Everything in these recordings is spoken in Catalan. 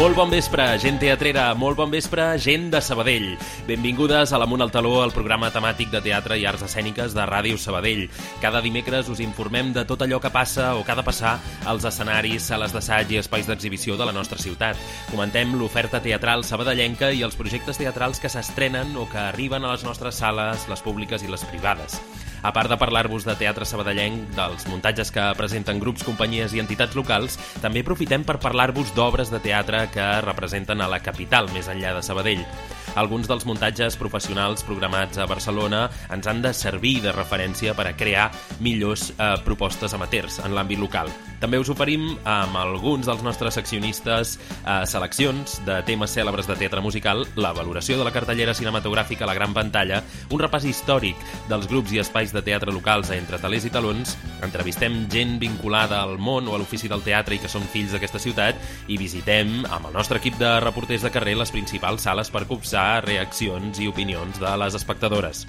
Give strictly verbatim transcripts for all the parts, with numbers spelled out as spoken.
Molt bon vespre, gent teatrera, molt bon vespre, gent de Sabadell. Benvingudes a l'Amunt al Taló, el programa temàtic de teatre i arts escèniques de Ràdio Sabadell. Cada dimecres us informem de tot allò que passa o que ha de passar als escenaris, sales d'assaig i espais d'exhibició de la nostra ciutat. Comentem l'oferta teatral sabadellenca i els projectes teatrals que s'estrenen o que arriben a les nostres sales, les públiques i les privades. A part de parlar-vos de teatre sabadellenc, dels muntatges que presenten grups, companyies i entitats locals, també aprofitem per parlar-vos d'obres de teatre que representen a la capital, més enllà de Sabadell. Alguns dels muntatges professionals programats a Barcelona ens han de servir de referència per a crear millors eh, propostes amateurs en l'àmbit local. També us oferim amb alguns dels nostres seccionistes eh, seleccions de temes cèlebres de teatre musical, la valoració de la cartellera cinematogràfica a la gran pantalla, un repàs històric dels grups i espais de teatre locals a Entre Talers i Talons, entrevistem gent vinculada al món o a l'ofici del teatre i que són fills d'aquesta ciutat i visitem amb el nostre equip de reporters de carrer les principals sales per copsar reaccions i opinions de les espectadores.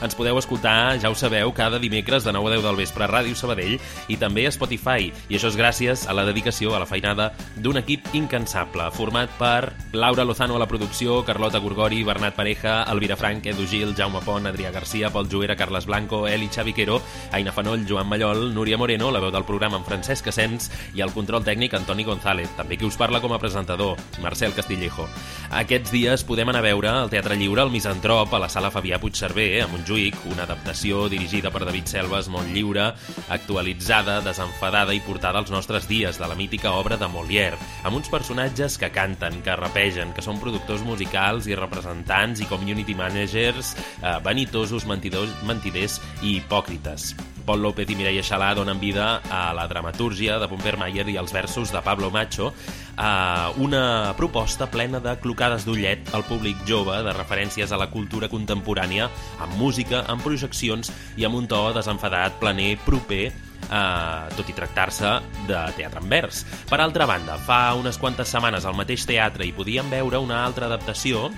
Ens podeu escoltar, ja ho sabeu, cada dimecres de nou a deu del vespre a Ràdio Sabadell i també a Spotify, i això és gràcies a la dedicació, a la feinada d'un equip incansable, format per Laura Lozano a la producció, Carlota Gorgori, Bernat Pareja, Elvira Frank, Edu Gil, Jaume Pont, Adrià Garcia, Pol Joera, Carles Blanco, Eli Xaviquero, Aina Fanoll, Joan Mallol, Núria Moreno, la veu del programa amb Francesc Asens i el control tècnic Antoni González, també qui us parla com a presentador, Marcel Castillejo. Aquests dies podem anar a veure al Teatre Lliure el Misantrop a la sala Fabià Puigcerver, a Montjuïc, una adaptació dirigida per David Selves, molt lliure, actualitzada, desenfadada i portada als nostres dies de la mítica obra de Molière, amb uns personatges que canten, que rapegen, que són productors musicals i representants i community managers eh, vanitosos, mentidors, mentiders i hipòcrites. Pol López i Mireia Xalà donen vida a la dramatúrgia de Pomper Mayer i els versos de Pablo Macho, a una proposta plena de clocades d'ullet al públic jove, de referències a la cultura contemporània, amb música, amb projeccions i amb un to desenfadat, planer, proper, Uh, tot i tractar-se de teatre en vers. Per altra banda, fa unes quantes setmanes al mateix teatre hi podíem veure una altra adaptació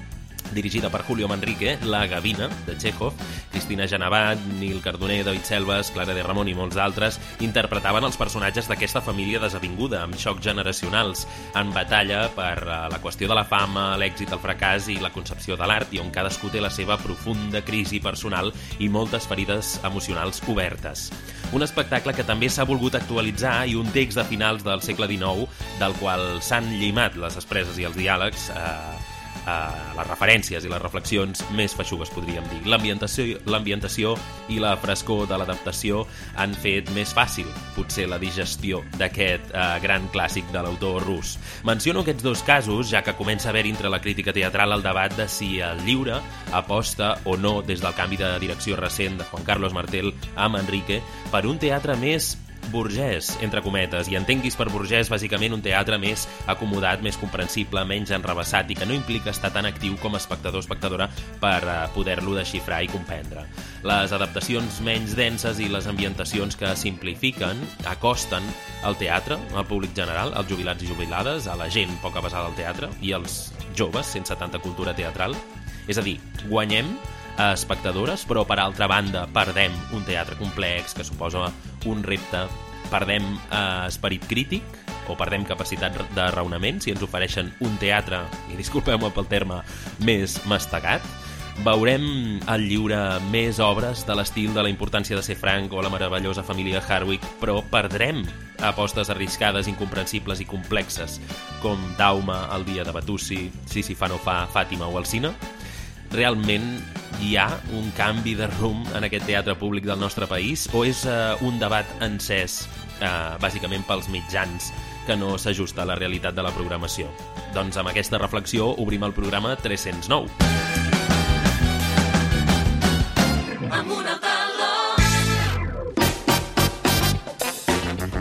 dirigida per Julio Manrique, La Gavina, de Chekhov. Cristina Genevat, Nil Cardoner, David Selves, Clara de Ramon i molts altres interpretaven els personatges d'aquesta família desavinguda, amb xocs generacionals, en batalla per uh, la qüestió de la fama, l'èxit, el fracàs i la concepció de l'art, i on cadascú té la seva profunda crisi personal i moltes ferides emocionals obertes. Un espectacle que també s'ha volgut actualitzar i un text de finals del segle dinou del qual s'han llimat les expresses i els diàlegs, eh, Uh, les referències i les reflexions més feixugues, podríem dir. L'ambientació, l'ambientació i la frescor de l'adaptació han fet més fàcil, potser, la digestió d'aquest uh, gran clàssic de l'autor rus. Menciono aquests dos casos, ja que comença a haver entre la crítica teatral el debat de si el Lliure aposta o no, des del canvi de direcció recent de Juan Carlos Martel a Manrique, per un teatre més burgès, entre cometes, i entenguis per burgès bàsicament un teatre més acomodat, més comprensible, menys enrevessat i que no implica estar tan actiu com a espectador o espectadora per uh, poder-lo desxifrar i comprendre. Les adaptacions menys denses i les ambientacions que simplifiquen acosten al teatre, al públic general, als jubilats i jubilades, a la gent poc avesada al teatre i als joves sense tanta cultura teatral. És a dir, guanyem a espectadores, però per altra banda perdem un teatre complex que suposa un repte, perdem eh, esperit crític o perdem capacitat de raonament si ens ofereixen un teatre, i disculpeu-me pel terme, més mastegat. Veurem al Lliure més obres de l'estil de La importància de ser franc o La meravellosa família Harwick, però perdrem apostes arriscades, incomprensibles i complexes com Dauma, El dia de Batussi, Si si fa no fa, Fàtima o Alsina. Realment hi ha un canvi de rumb en aquest teatre públic del nostre país o és uh, un debat encès uh, bàsicament pels mitjans que no s'ajusta a la realitat de la programació? Doncs amb aquesta reflexió obrim el programa tres-cents nou.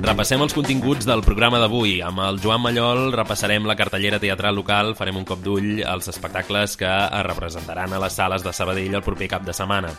Repassem els continguts del programa d'avui. Amb el Joan Mallol repassarem la cartellera teatral local, farem un cop d'ull als espectacles que es representaran a les sales de Sabadell el proper cap de setmana.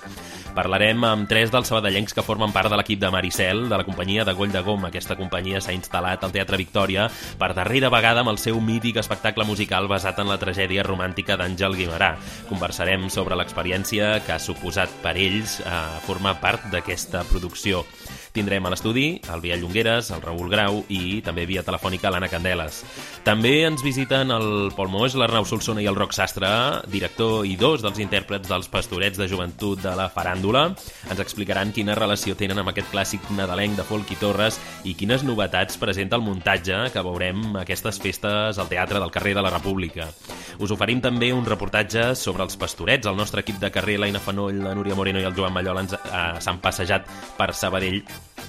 Parlarem amb tres dels sabadellencs que formen part de l'equip de Maricel, de la companyia de Goll de Gom. Aquesta companyia s'ha instal·lat al Teatre Victòria per darrera vegada amb el seu mític espectacle musical basat en la tragèdia romàntica d'Àngel Guimerà. Conversarem sobre l'experiència que ha suposat per ells eh, formar part d'aquesta producció. Tindrem a l'estudi el Biel Llongueres, el Raül Grau i també via telefònica l'Anna Candeles. També ens visiten el Pol Moix, l'Arnau Solsona i el Roc Sastre, director i dos dels intèrprets dels Pastorets de Joventut de la Faràndula. Ens explicaran quina relació tenen amb aquest clàssic nadalenc de Folk i Torres i quines novetats presenta el muntatge que veurem aquestes festes al Teatre del Carrer de la República. Us oferim també un reportatge sobre els Pastorets. El nostre equip de carrer, l'Aina Fanoll, la Núria Moreno i el Joan Mallola, ens, eh, s'han passejat per Sabadell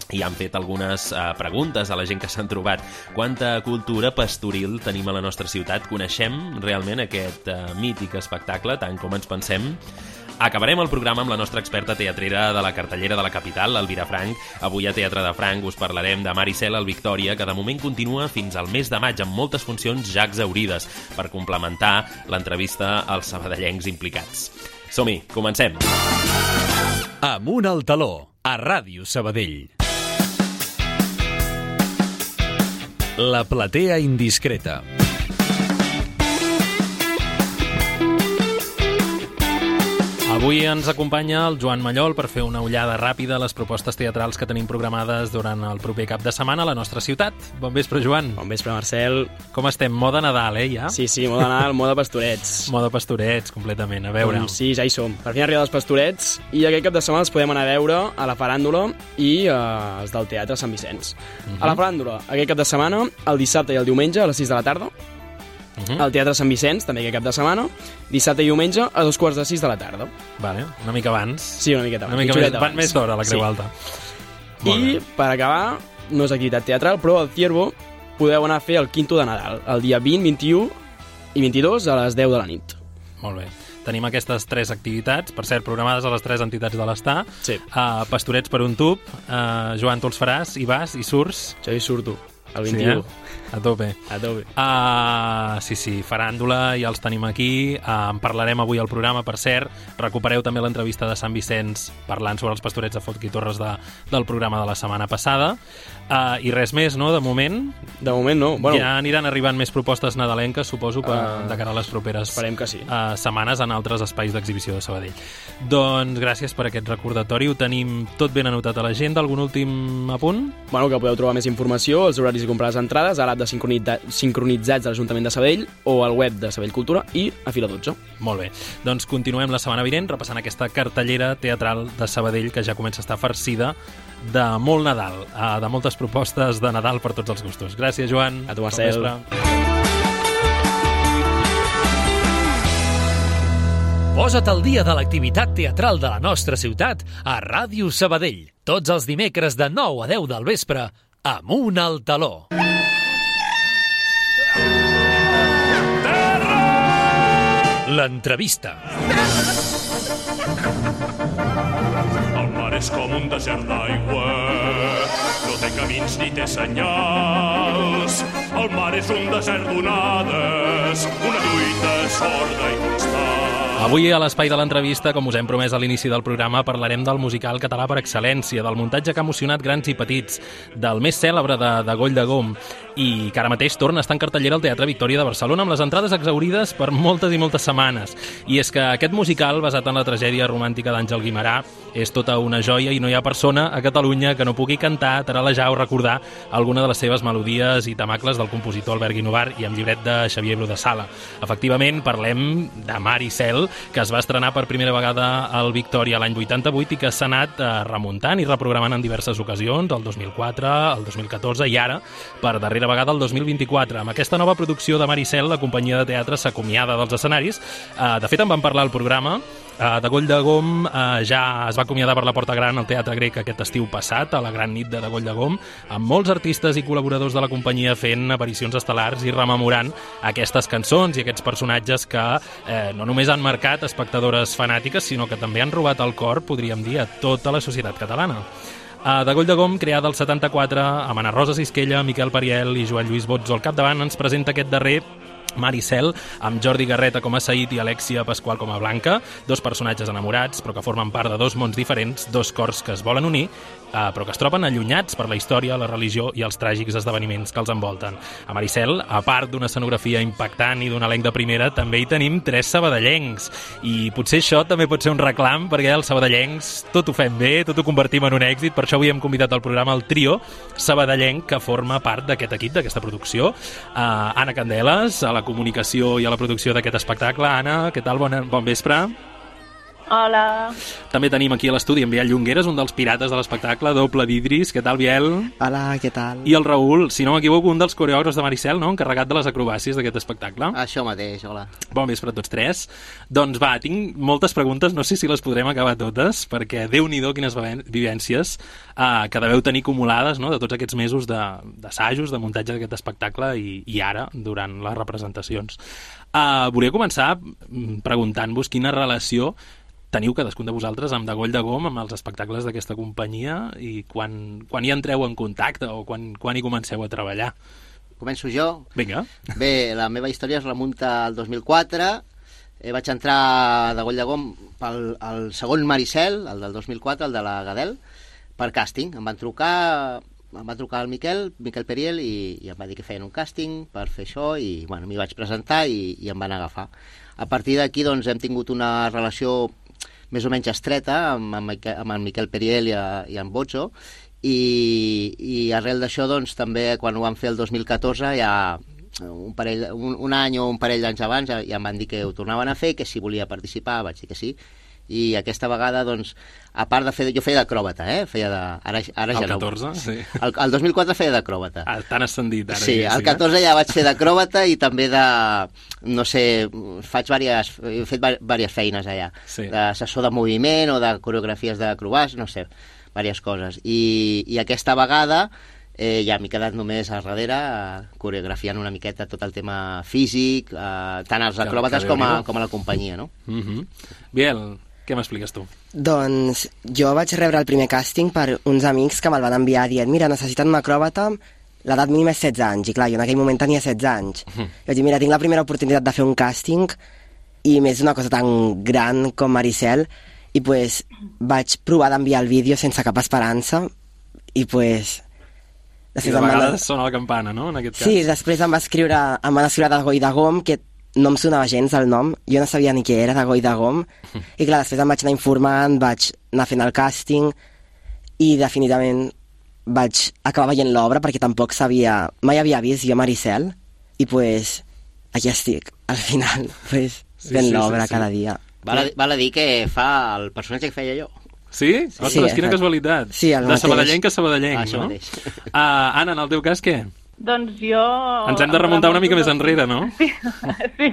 i han fet algunes eh, preguntes a la gent que s'han trobat. Quanta cultura pastoril tenim a la nostra ciutat? Coneixem realment aquest eh, mític espectacle, tant com ens pensem? Acabarem el programa amb la nostra experta teatrera de la cartellera de la capital, l'Elvira Frank. Avui a Teatre de Frank us parlarem de Maricel al Victòria, que de moment continua fins al mes de maig amb moltes funcions ja exaurides per complementar l'entrevista als sabadellencs implicats. Som-hi, comencem! Amunt al taló, a Ràdio Sabadell. La platea indiscreta. Avui ens acompanya el Joan Mallol per fer una ullada ràpida a les propostes teatrals que tenim programades durant el proper cap de setmana a la nostra ciutat. Bon vespre, Joan. Bon vespre, Marcel. Com estem? Moda Nadal, eh, ja? Sí, sí, moda Nadal, moda Pastorets. Moda Pastorets, completament. A veure... Doncs sí, ja hi som. Per fi han arribat els Pastorets i aquest cap de setmana els podem anar a veure a la Faràndula i eh, els del Teatre Sant Vicenç. Uh -huh. A la Faràndula, aquest cap de setmana, el dissabte i el diumenge a les sis de la tarda. Uh -huh. Al Teatre Sant Vicenç, també aquest cap de setmana, dissabte i diumenge a dos quarts de sis de la tarda. Vale, una mica abans. Sí, una miqueta abans. Una mica més, abans. Més d'hora, la Creu sí. Alta. I, per acabar, no és activitat teatral, però al Ciervo podeu anar a fer el quinto de Nadal, el dia vint, vint-i-u i vint-i-dos a les deu de la nit. Molt bé. Tenim aquestes tres activitats, per cert, programades a les tres entitats de l'Estar. Sí. Uh, Pastorets per un tub. Uh, Joan, tu els faràs, hi vas, hi surts. Jo hi surto. El vint-i-u. Sí, eh? A tope. A tope. Uh, sí, sí, Faràndula, ja els tenim aquí. Uh, en parlarem avui al programa, per cert. Recupereu també l'entrevista de Sant Vicenç parlant sobre els Pastorets de Folk i Torres de, del programa de la setmana passada. Uh, I res més, no?, de moment? De moment no. Bueno, ja aniran arribant més propostes nadalenques, suposo, per, uh, de cara a les properes esperem que sí. uh, setmanes en altres espais d'exhibició de Sabadell. Doncs gràcies per aquest recordatori. Ho tenim tot ben anotat a l'agenda. Algun últim apunt? Bueno, que podeu trobar més informació, els horaris de comprar les entrades, a l'app de sincronitzats de l'Ajuntament de Sabadell o al web de Sabadell Cultura i a Fila dotze. Molt bé. Doncs continuem la setmana vinent repassant aquesta cartellera teatral de Sabadell que ja comença a estar farcida de molt Nadal, de moltes propostes de Nadal per tots els gustos. Gràcies, Joan. A tu, Marcel. Posa't al dia de l'activitat teatral de la nostra ciutat a Ràdio Sabadell. Tots els dimecres de nou a deu del vespre, Amunt al taló. L'entrevista. El mar és com un desert d'aigua, no té camins ni té senyals. El mar és un desert d'onades, una lluita sorda i constant. Avui a l'espai de l'entrevista, com us hem promès a l'inici del programa, parlarem del musical català per excel·lència, del muntatge que ha emocionat grans i petits, del més cèlebre de, de Goll de Gom, i que ara mateix torna a estar en cartellera al Teatre Victòria de Barcelona amb les entrades exaurides per moltes i moltes setmanes. I és que aquest musical, basat en la tragèdia romàntica d'Àngel Guimerà, és tota una joia i no hi ha persona a Catalunya que no pugui cantar, taralejar o recordar alguna de les seves melodies i temacles del compositor Albert Guinovar i amb llibret de Xavier Bru de Sala. Efectivament, parlem de Maricel, que es va estrenar per primera vegada al Victòria l'any vuitanta-vuit i que s'ha anat eh, remuntant i reprogramant en diverses ocasions, el dos mil quatre, el dos mil catorze i ara, per darrera vegada, el dos mil vint-i-quatre. Amb aquesta nova producció de Maricel, la companyia de teatre s'acomiada dels escenaris. Eh, de fet, en vam parlar al programa. Uh, de Goll de Gom uh, ja es va acomiadar per la Porta Gran al Teatre Grec aquest estiu passat, a la gran nit de, de Goll de Gom, amb molts artistes i col·laboradors de la companyia fent aparicions estel·lars i rememorant aquestes cançons i aquests personatges que eh, no només han marcat espectadores fanàtiques, sinó que també han robat el cor, podríem dir, a tota la societat catalana. Uh, de Goll de Gom, creada al setanta-quatre, amb Ana Rosa Sisquella, Miquel Pariel i Joan Lluís Botzo al capdavant, ens presenta aquest darrer Maricel, amb Jordi Garreta com a Said i Alexia Pasqual com a Blanca, dos personatges enamorats, però que formen part de dos mons diferents, dos cors que es volen unir, eh, però que es troben allunyats per la història, la religió i els tràgics esdeveniments que els envolten. A Maricel, a part d'una escenografia impactant i d'un elenc de primera, també hi tenim tres sabadellencs. I potser això també pot ser un reclam, perquè els sabadellencs tot ho fem bé, tot ho convertim en un èxit, per això avui hem convidat al programa el trio sabadellenc que forma part d'aquest equip, d'aquesta producció. Uh, Anna Candeles, a la comunicació i a la producció d'aquest espectacle. Anna, què tal? Bon, bon vespre. Hola. També tenim aquí a l'estudi en Biel Llongueras, un dels pirates de l'espectacle, doble d'Idris. Què tal, Biel? Hola, què tal? I el Raül, si no m'equivoco, un dels coreògrafs de Maricel, no? Encarregat de les acrobàcies d'aquest espectacle. Això mateix, hola. Bon vespre a tots tres. Doncs va, tinc moltes preguntes, no sé si les podrem acabar totes, perquè Déu-n'hi-do quines vivències eh, que deveu tenir acumulades, no?, de tots aquests mesos d'assajos, de, de muntatge d'aquest espectacle i, i ara, durant les representacions. Uh, volia començar preguntant-vos quina relació teniu cadascun de vosaltres amb Degoll de Gom, amb els espectacles d'aquesta companyia, i quan, quan hi entreu en contacte o quan, quan hi comenceu a treballar? Començo jo? Vinga. Bé, la meva història es remunta al dos mil quatre. Eh, vaig entrar a Degoll de Gom pel el segon Maricel, el del dos mil quatre, el de la Gadel, per càsting. Em van trucar... em va trucar el Miquel, Miquel Periel, i, i em va dir que feien un càsting per fer això, i bueno, m'hi vaig presentar i, i em van agafar. A partir d'aquí doncs, hem tingut una relació més o menys estreta amb, amb, amb en Miquel Periel i, a, i en Bozzo, i, i arrel d'això doncs, també quan ho vam fer el dos mil catorze ja un, parell, un, un any o un parell d'anys abans ja, ja em van dir que ho tornaven a fer, que si volia participar vaig dir que sí. I aquesta vegada, doncs, a part de fer... Jo feia d'acròbata, eh? Feia de... Ara, ara ja el catorze, no. Sí. El, el dos mil quatre feia d'acròbata. Ah, tan ascendit, ara. Sí, el catorze ja vaig fer d'acròbata i també de... No sé, faig diverses... He fet diverses feines allà. Sí. D'assessor de moviment o de coreografies d'acrobats, no sé, diverses coses. I, i aquesta vegada... Eh, ja m'he quedat només a darrere eh, coreografiant una miqueta tot el tema físic, eh, tant als acròbates com a, com a la companyia, no? Mm-hmm. Biel, què m'expliques tu? Doncs jo vaig rebre el primer càsting per uns amics que me'l van enviar dient mira, necessiten un acròbata, l'edat mínima és setze anys, i clar, jo en aquell moment tenia setze anys. Mm. I vaig dir, mira, tinc la primera oportunitat de fer un càsting i més una cosa tan gran com Maricel, i pues vaig provar d'enviar el vídeo sense cap esperança, i pues... I de vegades van... sona la campana, no?, en aquest cas. Sí, després em va escriure, em van escriure Degoll de Gom, que no em sonava gens el nom, jo no sabia ni què era Degoll de Gom, i clar, després em vaig anar informant, vaig anar fent el càsting, i definitivament vaig acabar veient l'obra, perquè tampoc sabia, mai havia vist jo Maricel, i pues aquí estic, al final, pues, sí, fent sí, l'obra sí, sí. cada dia. Val a, val a dir que fa el personatge que feia jo. Sí? Ostres, sí, quina casualitat. Sí, el de mateix. sabadellenc a sabadellenc, ah, no? Uh, Anna, en el teu cas, què? Doncs jo... Ens hem de remuntar una mica més enrere, no? Sí, sí,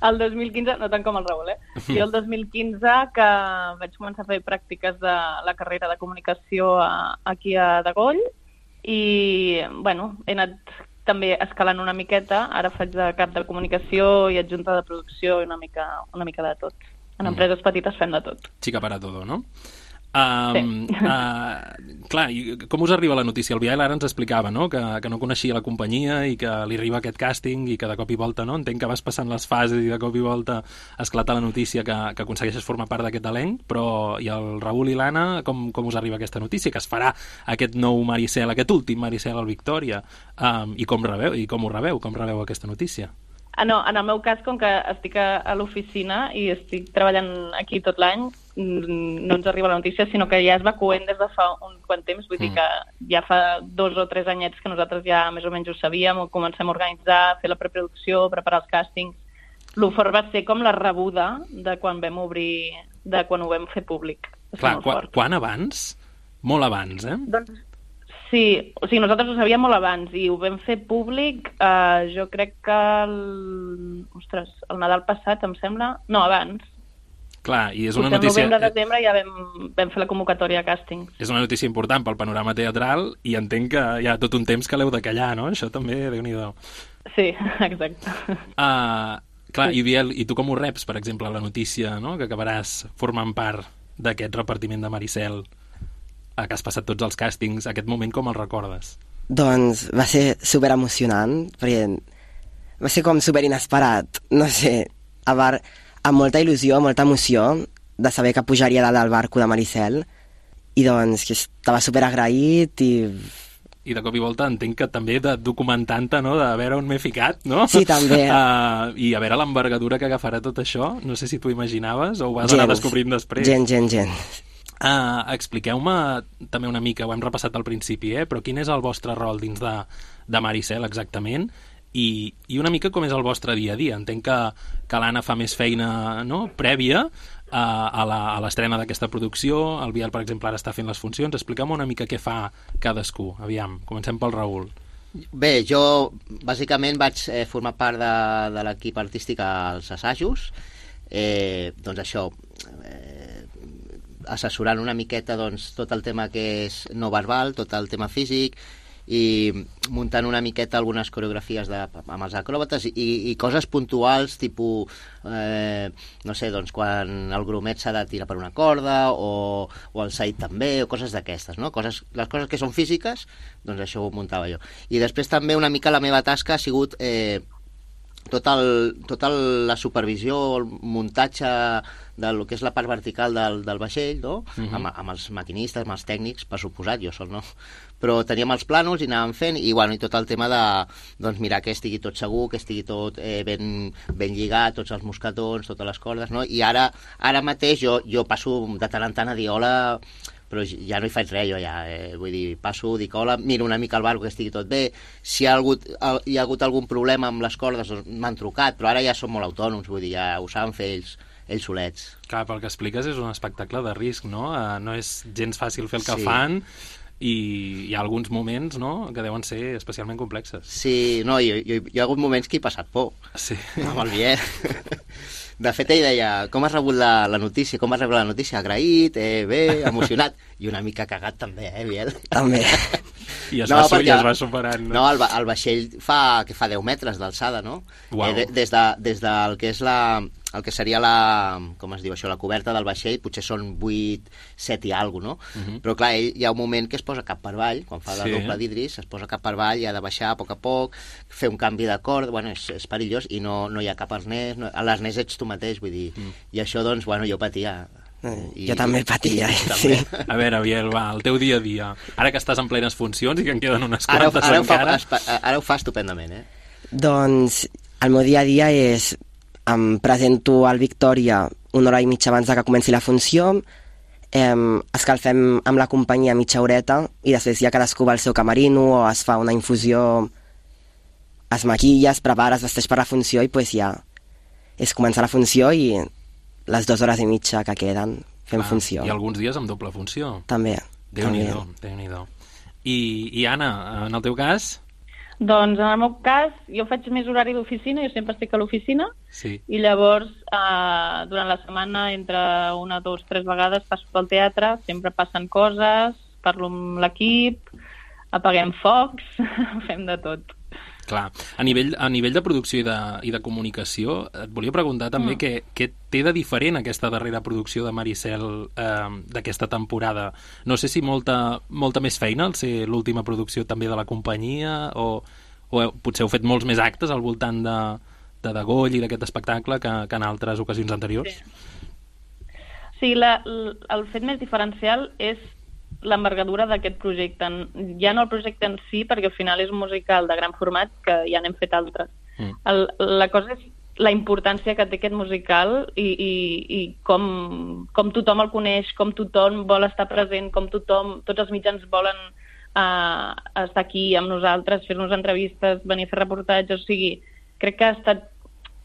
el dos mil quinze, no tant com el Raül, eh? Jo el dos mil quinze, que vaig començar a fer pràctiques de la carrera de comunicació a, aquí a Degoll, i, bueno, he anat també escalant una miqueta, ara faig de cap de comunicació i adjunta de producció i una mica, una mica de tot. En empreses petites fem de tot. Chica para todo, no? Um, sí. uh, clar, i com us arriba la notícia? El Biel ara ens explicava, no?, que, que no coneixia la companyia i que li arriba aquest càsting i que de cop i volta, no?, entenc que vas passant les fases i de cop i volta esclata la notícia que, que aconsegueixes formar part d'aquest elenc, però i el Raül i l'Anna, com, com us arriba aquesta notícia? Que es farà aquest nou Maricel, aquest últim Maricel al Victòria, um, i com rebeu, i com ho rebeu, com rebeu aquesta notícia? Ah, no, en el meu cas, com que estic a, a l'oficina i estic treballant aquí tot l'any, no ens arriba la notícia, sinó que ja es va coent des de fa un quant temps, vull mm. dir que ja fa dos o tres anyets que nosaltres ja més o menys ho sabíem, comencem a organitzar, a fer la preproducció, preparar els càstings. L'ofort va ser com la rebuda de quan vam obrir, de quan ho vam fer públic. Clar, quan, quan abans? Molt abans, eh? Doncs sí, o sigui, nosaltres ho sabíem molt abans i ho vam fer públic, eh, jo crec que el... Ostres, el Nadal passat, em sembla... No, abans. Clar, i és una Potser notícia... el novembre, desembre ja vam, vam fer la convocatòria a càsting. És una notícia important pel panorama teatral i entenc que hi ha tot un temps que l'heu de callar, no? Això també, Déu-n'hi-do. Sí, exacte. Uh, clar, i Biel, i tu com ho reps, per exemple, la notícia, no?, que acabaràs formant part d'aquest repartiment de Maricel, que has passat tots els càstings, aquest moment com el recordes? Doncs va ser super emocionant, perquè va ser com super inesperat, no sé, a bar, amb molta il·lusió, molta emoció, de saber que pujaria dalt del barco de Maricel, i doncs que estava super agraït i... I de cop i volta entenc que també de documentant-te, no?, de veure on m'he ficat, no? Sí, també. Uh, I a veure l'envergadura que agafarà tot això, no sé si t'ho imaginaves o ho vas gens, anar descobrint després. Gens, gens, gens. Uh, expliqueu-me també una mica, ho hem repassat al principi, eh? Però quin és el vostre rol dins de, de Maricel exactament? I, i una mica com és el vostre dia a dia. Entenc que, que l'Anna fa més feina, no?, prèvia a, a la- a l'estrena d'aquesta producció. El Biel, per exemple, ara està fent les funcions. Expliqueu-me una mica què fa cadascú. Aviam, comencem pel Raül. Bé, jo bàsicament vaig eh, formar part de, de l'equip artístic als assajos. Eh, doncs això, eh, assessorant una miqueta doncs, tot el tema que és no verbal, tot el tema físic, i muntant una miqueta algunes coreografies de, amb els acròbates i, i coses puntuals, tipus, eh, no sé, doncs quan el grumet s'ha de tirar per una corda o, o el Said també, o coses d'aquestes, no? Coses, les coses que són físiques, doncs això ho muntava jo. I després també una mica la meva tasca ha sigut eh, tot el, tota la supervisió, el muntatge del que és la part vertical del, del vaixell, no? Mhm. amb, amb els maquinistes, amb els tècnics, per suposat, jo sol no. Però teníem els plànols i anàvem fent, i, bueno, i tot el tema de doncs, mirar que estigui tot segur, que estigui tot eh, ben, ben lligat, tots els mosquetons, totes les cordes, no? I ara, ara mateix jo, jo passo de tant en tant a dir hola, però ja no hi faig res, jo ja, eh, vull dir, passo, dic hola, miro una mica el barco que estigui tot bé, si hi ha hagut, hi ha hagut algun problema amb les cordes, doncs m'han trucat, però ara ja són molt autònoms, vull dir, ja ho saben fer ells, ells solets. Clar, pel que expliques és un espectacle de risc, no? Uh, no és gens fàcil fer el que Sí. fan i hi ha alguns moments, no?, que deuen ser especialment complexes. Sí, no, hi, hi, hi ha hagut moments que he passat por, Sí. amb el Biel. De fet, ell deia, com has rebut la, la notícia, com has rebut la notícia? Agraït, eh, bé, emocionat, i una mica cagat també, eh, Biel? També. I es, No, va, su- i perquè- es va superant. No, el, va- el vaixell fa, que fa deu metres d'alçada, no? Uau. Eh, de, des, de, des del que és la, el que seria la, com es diu això, la coberta del vaixell, potser són vuit, set i alguna cosa, no? Mhm. Però clar, ell, hi ha un moment que es posa cap per avall, quan fa la Sí. doble d'Idris, es posa cap per avall i ha de baixar a poc a poc, fer un canvi de corda, bueno, és, és perillós, i no, no hi ha cap arnès, no, a l'arnès ets tu mateix, vull dir, Mm. i això, doncs, bueno, jo patia. Eh, jo també patia, i- eh, també. sí. A veure, Biel, va, el teu dia a dia. Ara que estàs en plenes funcions i que en queden unes Ara, ho- quantes ara, ho fa, encara... espa- ara ho fa estupendament, eh? Doncs el meu dia a dia és em presento al Victòria una hora i mitja abans de que comenci la funció, em, escalfem amb la companyia mitja horeta i després ja cadascú va al seu camerino o es fa una infusió, es maquilla, es prepara, es vesteix per la funció i pues ja és començar la funció i les dues hores i mitja que queden fem Clar, funció. I alguns dies amb doble funció. També. també. Déu-n'hi-do, Déu-n'hi-do. I, I Anna, en el teu cas? Doncs en el meu cas, jo faig més horari d'oficina, jo sempre estic a l'oficina, Sí. i llavors eh, durant la setmana entre una, dos, tres vegades passo pel teatre, sempre passen coses, parlo amb l'equip, apaguem focs, fem de tot. Clar, a nivell, a nivell de producció i de, i de comunicació, et volia preguntar també mm. què, què té de diferent aquesta darrera producció de Maricel eh, d'aquesta temporada. No sé si molta, molta més feina al ser l'última producció també de la companyia o, o heu, potser heu fet molts més actes al voltant de, de Degoll i d'aquest espectacle que, que en altres ocasions anteriors. Sí. Sí, la, l- el fet més diferencial és l'envergadura d'aquest projecte. Ja no el projecte en si, perquè al final és un musical de gran format que ja n'hem fet altres. Mm. El, la cosa és la importància que té aquest musical i, i, i com, com tothom el coneix, com tothom vol estar present, com tothom, tots els mitjans volen uh, estar aquí amb nosaltres, fer-nos entrevistes, venir a fer reportatges, o sigui, crec que ha estat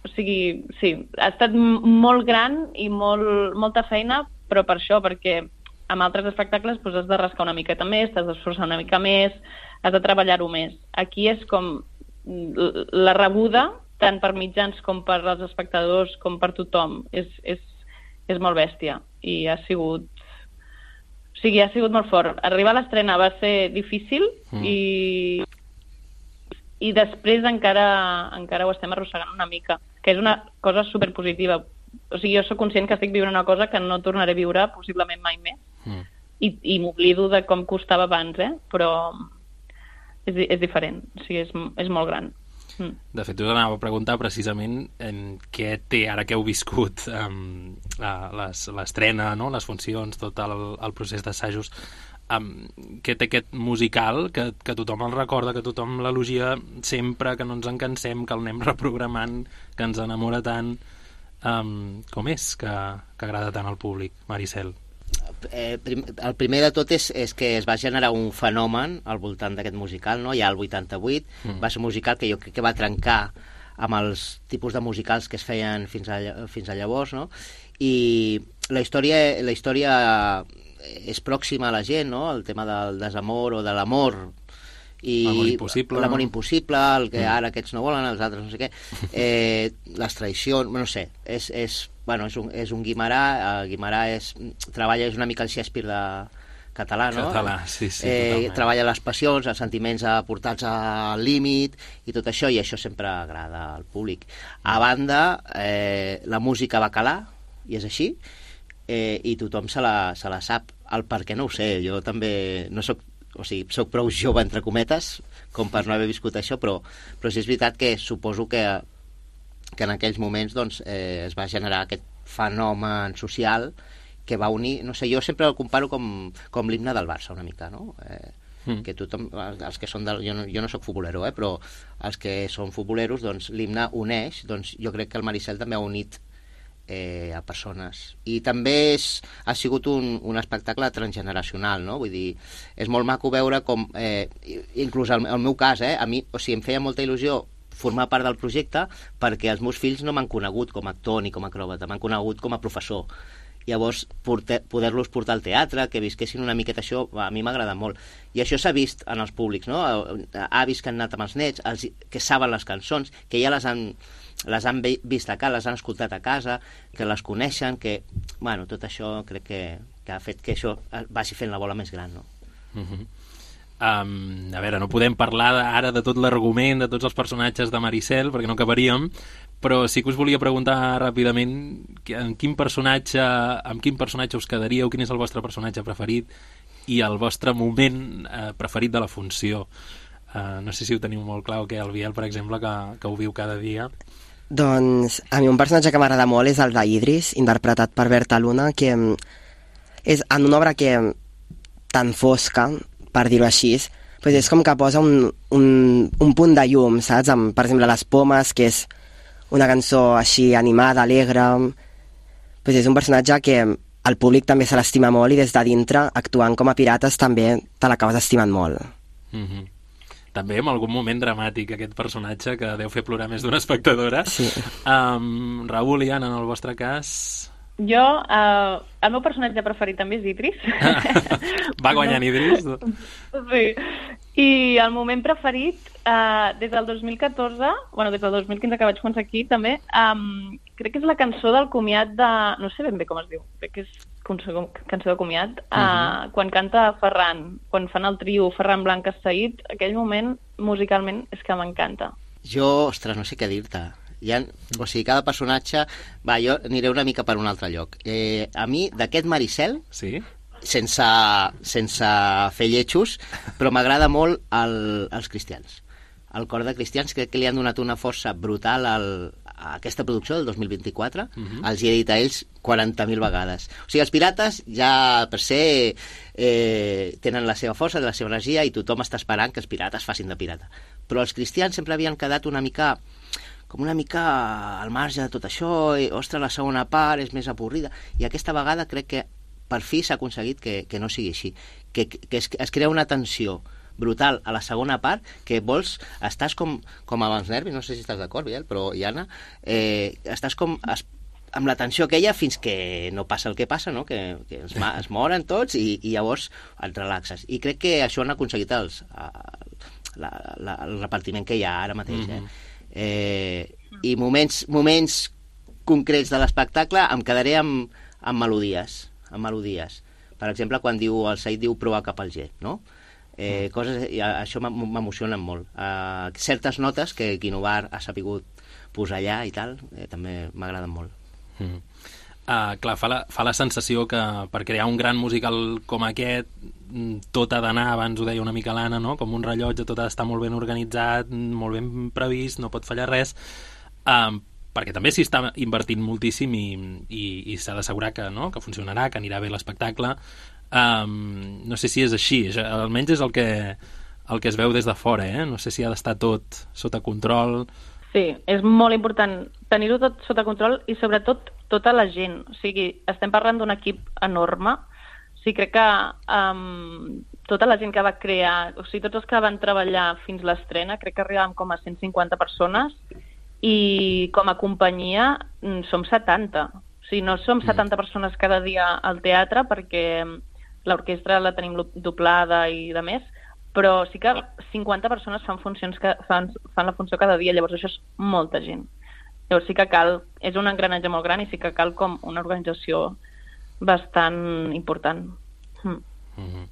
o sigui, sí, ha estat m- molt gran i molt, molta feina, però per això, perquè amb altres espectacles doncs, has de rascar una miqueta més, t'has d'esforçar una mica més, has de treballar-ho més. Aquí és com l- la rebuda, tant per mitjans com per als espectadors, com per tothom, és, és, és molt bèstia i ha sigut... O sigui, ha sigut molt fort. Arribar a l'estrena va ser difícil Mm. i, i després encara, encara ho estem arrossegant una mica, que és una cosa superpositiva. O sigui, jo sóc conscient que estic vivint una cosa que no tornaré a viure possiblement mai més. Mm. I, i m'oblido de com costava abans, eh? Però és, di- és diferent, o sigui, és, és molt gran. Mm. De fet, us anava a preguntar precisament en què té, ara que heu viscut um, l'estrena, no? Les funcions, tot el, el procés d'assajos, um, què té aquest musical que, que tothom el recorda, que tothom l'elogia sempre, que no ens en cansem, que el anem reprogramant, que ens enamora tant. Um, com és que, que agrada tant al públic, Maricel? Eh, prim, el primer de tot és, és que es va generar un fenomen al voltant d'aquest musical, no? Ja al vuitanta-vuit mm. va ser un musical que jo crec que va trencar amb els tipus de musicals que es feien fins a, fins a llavors, no? I la història, la història és pròxima a la gent, no? El tema del desamor o de l'amor, i l'amor impossible, l'amor impossible, el que ara aquests no volen, els altres no sé què, eh, les traïcions, no sé, és, és, bueno, és un, és un Guimarà, uh, Guimarà és, treballa, és una mica el Shakespeare de català, no? Català, sí, sí, eh, totalment. Treballa les passions, els sentiments portats al límit i tot això, i això sempre agrada al públic. A banda, eh, la música va calar, i és així, eh, i tothom se la, se la sap. El per què no ho sé, jo també no soc, o sigui, soc prou jove, entre cometes, com per no haver viscut això, però, però sí és veritat que suposo que, que en aquells moments doncs, eh, es va generar aquest fenomen social que va unir, no sé, jo sempre el comparo com, com l'himne del Barça, una mica, no? Eh, mm. que tothom, els que són del, jo, no, jo no soc futbolero, eh, però els que són futboleros, doncs l'himne uneix, doncs jo crec que el Maricel també ha unit Eh, a persones, i també és, ha sigut un, un espectacle transgeneracional, no? Vull dir, és molt maco veure com, eh, inclús el, el meu cas, eh, a mi, o sigui, em feia molta il·lusió formar part del projecte perquè els meus fills no m'han conegut com a actor ni com a acròbata, m'han conegut com a professor. Llavors, poder-los portar al teatre, que visquessin una miqueta això, a mi m'agrada molt. I això s'ha vist en els públics, no? Avis que han anat amb els nets, els, que saben les cançons, que ja les han, les han vist a casa, les han escoltat a casa, que les coneixen, que, bueno, tot això crec que, que ha fet que això vagi fent la bola més gran, no? Uh-huh. Um, a veure, no podem parlar ara de tot l'argument, de tots els personatges de Maricel, perquè no acabaríem, però sí que us volia preguntar ràpidament en quin personatge, amb quin personatge us quedaríeu, quin és el vostre personatge preferit i el vostre moment eh, preferit de la funció. Uh, no sé si ho teniu molt clar o què, el Biel, per exemple, que, que ho viu cada dia. Doncs a mi un personatge que m'agrada molt és el d'Idris, interpretat per Berta Luna, que és en una obra que tan fosca, per dir-ho així, pues és com que posa un, un, un punt de llum, saps? Amb, per exemple, Les Pomes, que és una cançó així animada, alegre. Pues és un personatge que el públic també se l'estima molt i des de dintre, actuant com a pirates, també te l'acabes estimant molt. Mm-hmm. També en algun moment dramàtic aquest personatge que deu fer plorar més d'una espectadora. Sí. Um, Raül i Anna, en el vostre cas... Jo, uh, el meu personatge preferit també és Idris. Va guanyant Idris? Sí. I el moment preferit, uh, des del dos mil catorze, bueno, des del dos mil quinze que vaig començar aquí, també, um, crec que és la cançó del comiat de... No sé ben bé com es diu, crec que és cançó de comiat, uh, uh-huh. quan canta Ferran, quan fan el trio Ferran Blanca Said, aquell moment, musicalment, és que m'encanta. Jo, ostres, no sé què dir-te. Ha, o sigui, cada personatge... Va, jo aniré una mica per un altre lloc. Eh, a mi, d'aquest Maricel, sí? sense, sense fer lletjos, però m'agrada molt el, els cristians. El cor de cristians, crec que li han donat una força brutal al, a aquesta producció del dos mil vint-i-quatre. Uh-huh. Els hi he dit a ells quaranta mil vegades. O sigui, els pirates ja per ser eh, tenen la seva força, la seva energia, i tothom està esperant que els pirates facin de pirata. Però els cristians sempre havien quedat una mica... com una mica al marge de tot això, i, ostres, la segona part és més avorrida, i aquesta vegada crec que per fi s'ha aconseguit que, que no sigui així, que, que es, es crea una tensió brutal a la segona part, que vols, estàs com, com amb els nervis, no sé si estàs d'acord, Biel, però Iana, eh, estàs com es, amb la tensió aquella fins que no passa el que passa, no? que, que es, es moren tots i, i llavors et relaxes, i crec que això han aconseguit els, la, la, el repartiment que hi ha ara mateix, eh? Mm-hmm. Eh, i moments, moments concrets de l'espectacle em quedaré amb, amb melodies amb melodies. Per exemple, quan diu el Said diu proa cap al G, no? Eh, coses, això m'emociona molt. Eh, certes notes que Guinovar ha sapigut posar allà i tal, eh, també m'agraden molt. Mm. Uh, clar, fa la, fa la sensació que per crear un gran musical com aquest tot ha d'anar, abans ho deia una mica l'Anna, no? Com un rellotge, tot ha d'estar molt ben organitzat, molt ben previst, no pot fallar res, uh, perquè també s'hi està invertint moltíssim i, i, i s'ha d'assegurar que, no? Que funcionarà, que anirà bé l'espectacle. Um, no sé si és així, almenys és el que, el que es veu des de fora, eh? No sé si ha d'estar tot sota control. Sí, és molt important tenir-ho tot sota control i sobretot tota la gent. O sigui, estem parlant d'un equip enorme. O sigui, crec que um, tota la gent que va crear, o sigui, tots els que van treballar fins l'estrena, crec que arribàvem com a cent cinquanta persones i com a companyia som setanta. O sigui, no som setanta persones cada dia al teatre perquè l'orquestra la tenim doblada i de més, però sí que cinquanta persones fan funcions que fan, fan la funció cada dia, llavors això és molta gent. Llavors sí que cal, és un engranatge molt gran i sí que cal com una organització bastant important. Mm. Mm-hmm.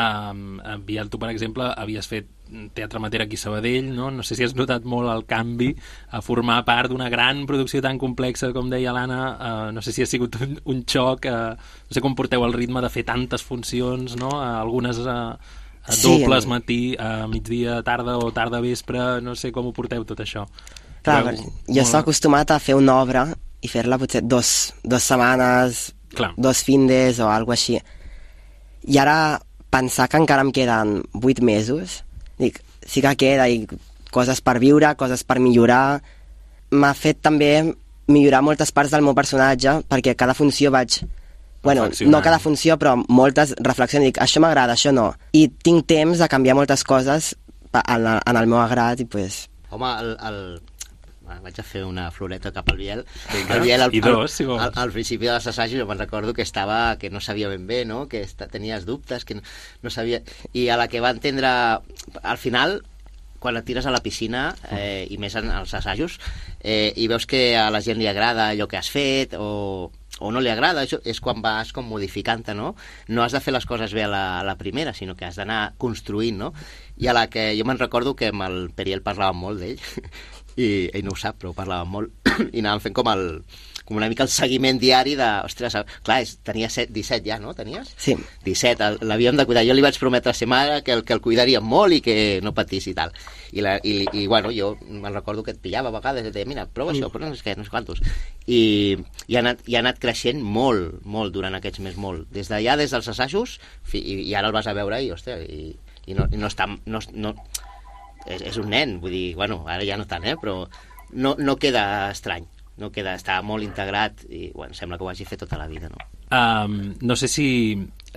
um, Biel, tu per exemple havies fet teatre amateur aquí a Sabadell, no? No sé si has notat molt el canvi a formar part d'una gran producció tan complexa com deia l'Anna, uh, no sé si ha sigut un, un xoc, uh, no sé com porteu el ritme de fer tantes funcions, no? Uh, algunes uh, a dobles, sí, matí, a migdia, tarda o tarda vespre, no sé com ho porteu tot això. Clar, però, jo molt... estava acostumat a fer una obra i fer-la potser dos, dos setmanes, Clar. dos findes o alguna així. I ara pensar que encara em queden vuit mesos, dic, sí que queda i coses per viure, coses per millorar, m'ha fet també millorar moltes parts del meu personatge, perquè cada funció vaig... Bueno, no cada funció, però moltes reflexions, dic, això m'agrada, això no. I tinc temps de canviar moltes coses en, en el meu agrat i pues... Home, el, el... vaig a fer una floreta cap al Biel. El Biel al, I dos, si al, al, al principi de les assajos jo me'n recordo que estava, que no sabia ben bé, no? Que esta, tenies dubtes, que no, no sabia... I a la que va entendre... Al final, quan et tires a la piscina, eh, i més en els assajos, eh, i veus que a la gent li agrada allò que has fet, o... o no li agrada, això és quan vas com modificant-te, no? No has de fer les coses bé a la, a la primera, sinó que has d'anar construint, no? I a la que jo me'n recordo que amb el Periel parlàvem molt d'ell, i ell no ho sap, però parlàvem molt, i anàvem fent com el com una mica el seguiment diari de... Ostres, clar, és, tenia set, disset ja, no? Tenies? Sí. disset, l'havíem de cuidar. Jo li vaig prometre a sa mare que el, que el cuidaríem molt i que no patís i tal. I, la, i, i bueno, jo me'n recordo que et pillava a vegades i et deia, mira, prova això, però no sé què, no sé quantos. I, i, ha anat, i ha anat creixent molt, molt durant aquests mesos, molt. Des d'allà, des dels assajos, fi, i, i ara el vas a veure i, hòstia, i, i no, i no està... No, no, és, és un nen, vull dir, bueno, ara ja no tant, eh, però no, no queda estrany. No queda, està molt integrat i bueno, sembla que ho hagi fet tota la vida, no? Um, no sé si,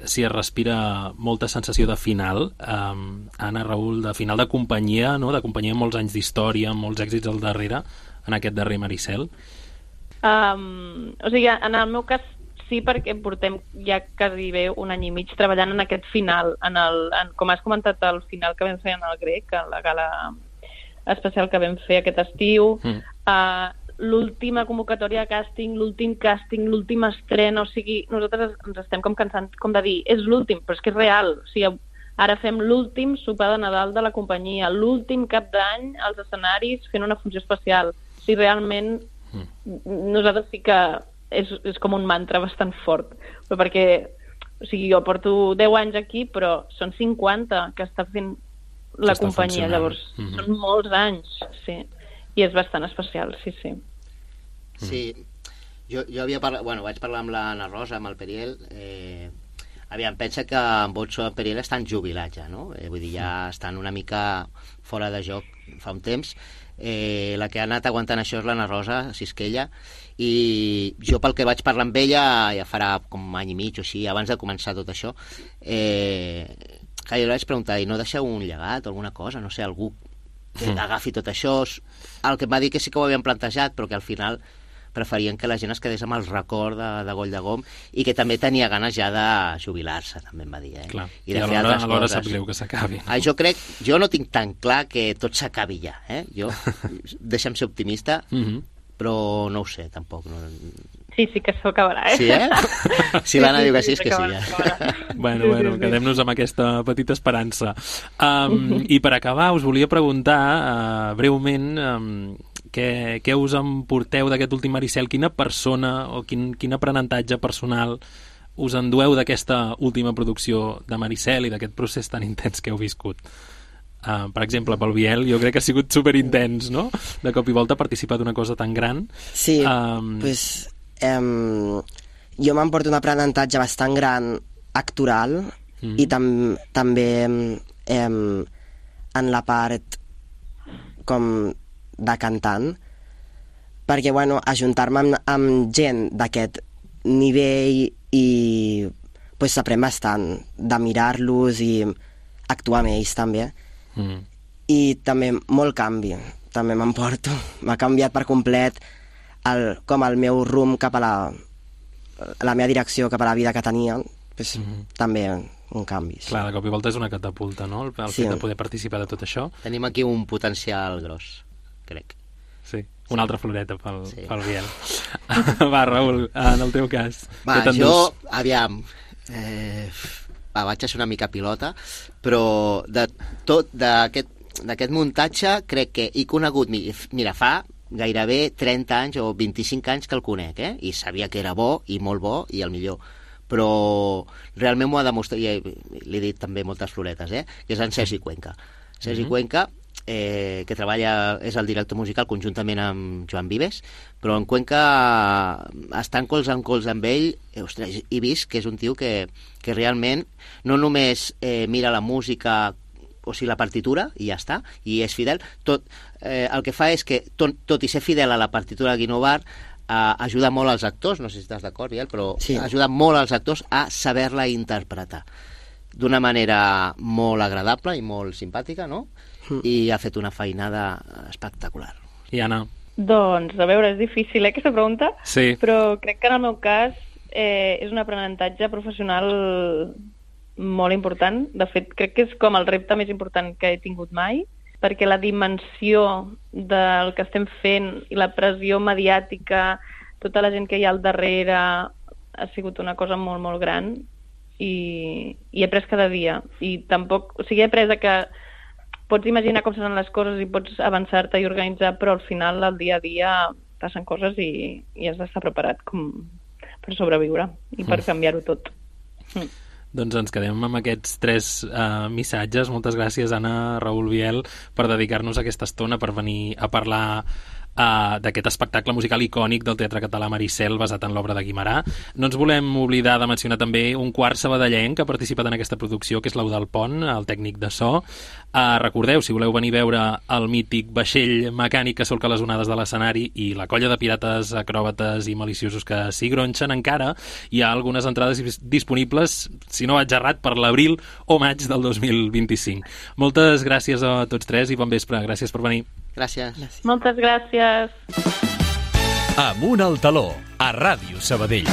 si es respira molta sensació de final, um, Anna, Raül, de final de companyia, no? De companyia amb molts anys d'història, amb molts èxits al darrere, en aquest darrer Maricel. Um, o sigui, en el meu cas sí, perquè portem ja quasi bé un any i mig treballant en aquest final, en el, en, com has comentat, el final que vam fer en el Grec, en la gala especial que vam fer aquest estiu, mm. uh, l'última convocatòria de càsting, l'últim càsting, l'últim estrena, o sigui, nosaltres ens estem com cansant com de dir, és l'últim, però és que és real, o sigui, ara fem l'últim sopar de Nadal de la companyia, l'últim cap d'any als escenaris fent una funció especial, o sigui, realment mm. nosaltres sí que és, és com un mantra bastant fort, però perquè, o sigui, jo porto deu anys aquí, però són cinquanta que està fent la companyia, llavors mm-hmm. són molts anys, sí. I és bastant especial, sí, sí. Sí, jo, jo havia parlat, bueno, vaig parlar amb l'Anna Rosa, amb el Periel, eh, aviam, pensa que en Botso i en Periel estan jubilats ja, no? Eh, vull dir, ja estan una mica fora de joc fa un temps. Eh, la que ha anat aguantant això és l'Anna Rosa Sisquella, i jo pel que vaig parlar amb ella, ja farà com un any i mig o així, abans de començar tot això, eh, que jo li vaig preguntar, i no deixeu un llegat o alguna cosa, no sé, algú que agafi tot això. El que em va dir que sí que ho havien plantejat, però que al final preferien que la gent es quedés amb el record de, de Goll de Gom, i que també tenia ganes ja de jubilar-se, també em va dir, eh? Clar. I de I fer altres coses. Alhora sap greu que s'acabi. Ah, jo crec, jo no tinc tan clar que tot s'acabi ja, eh? Jo, deixa'm ser optimista, mm-hmm. però no ho sé, tampoc. No... Sí, sí que s'ho acabarà, eh? Sí, eh? Si l'Anna sí, sí, diu que sí, és que sí, ja. Bueno, bueno, quedem-nos amb aquesta petita esperança. Um, I per acabar, us volia preguntar uh, breument um, què, què us emporteu d'aquest últim Maricel? Quina persona o quin, quin aprenentatge personal us endueu d'aquesta última producció de Maricel i d'aquest procés tan intens que heu viscut? Uh, per exemple, pel Biel, jo crec que ha sigut superintens, no? De cop i volta participar d'una cosa tan gran. Sí, um... pues, um, jo m'emporto un aprenentatge bastant gran actoral mm. i tam també um, en la part com de cantant, perquè, bueno, ajuntar-me amb, amb gent d'aquest nivell i pues, s'aprèn bastant de mirar-los i actuar amb ells també. Mm. I també molt canvi, també m'emporto. M'ha canviat per complet el, com el meu rumb cap a la, la meva direcció, cap a la vida que tenia. Pues, mm. També un canvi. Sí. Clar, de cop i volta és una catapulta, no? El, el sí. fet de poder participar de tot això. Tenim aquí un potencial gros, crec. Sí, una altra floreta pel, sí. pel Biel. Va, Raül, en el teu cas. Va, jo, aviam... Eh... Va, vaig a ser una mica pilota, però de tot d'aquest muntatge crec que he conegut, mira, fa gairebé trenta anys o vint-i-cinc anys que el conec, eh? I sabia que era bo i molt bo i el millor, però realment m'ho ha demostrat, i l'he dit també moltes floretes, eh? Que és en Sergi Cuenca. Sergi mm-hmm. Cuenca, eh, que treballa, és el director musical conjuntament amb Joan Vives, però en Cuenca, estant colze en colze amb ell, eh, ostres, he vist que és un tio que, que realment no només eh, mira la música, o sigui, la partitura, i ja està, i és fidel. Tot, eh, el que fa és que, tot, tot i ser fidel a la partitura de Guinovar, eh, ajuda molt als actors, no sé si estàs d'acord, Biel, però sí. ajuda molt als actors a saber-la interpretar d'una manera molt agradable i molt simpàtica, no? Mm. I ha fet una feinada espectacular. I Anna? Doncs, a veure, és difícil, eh, aquesta pregunta, sí. però crec que en el meu cas eh, és un aprenentatge professional molt important. De fet, crec que és com el repte més important que he tingut mai, perquè la dimensió del que estem fent i la pressió mediàtica, tota la gent que hi ha al darrere, ha sigut una cosa molt, molt gran. I, i he après cada dia i tampoc, o sigui, he après que pots imaginar com seran les coses i pots avançar-te i organitzar, però al final al dia a dia passen coses i, i has d'estar preparat com per sobreviure i per mm. canviar-ho tot. Mm. Doncs ens quedem amb aquests tres uh, missatges. Moltes gràcies, Anna, Raül, Biel, per dedicar-nos aquesta estona, per venir a parlar Uh, d'aquest espectacle musical icònic del Teatre Català Maricel basat en l'obra de Guimerà. No ens volem oblidar de mencionar també un quart sabadellenc que ha participat en aquesta producció, que és l'Eudald Pont, el tècnic de so. Uh, recordeu, si voleu venir a veure el mític vaixell mecànic que solca les onades de l'escenari i la colla de pirates, acròbates i maliciosos que s'hi gronxen, encara hi ha algunes entrades disponibles, si no vaig errat, per l'abril o maig del dos mil vint-i-cinc. Moltes gràcies a tots tres i bon vespre. Gràcies per venir. Gràcies. Moltes gràcies. Amunt al taló, a Ràdio Sabadell.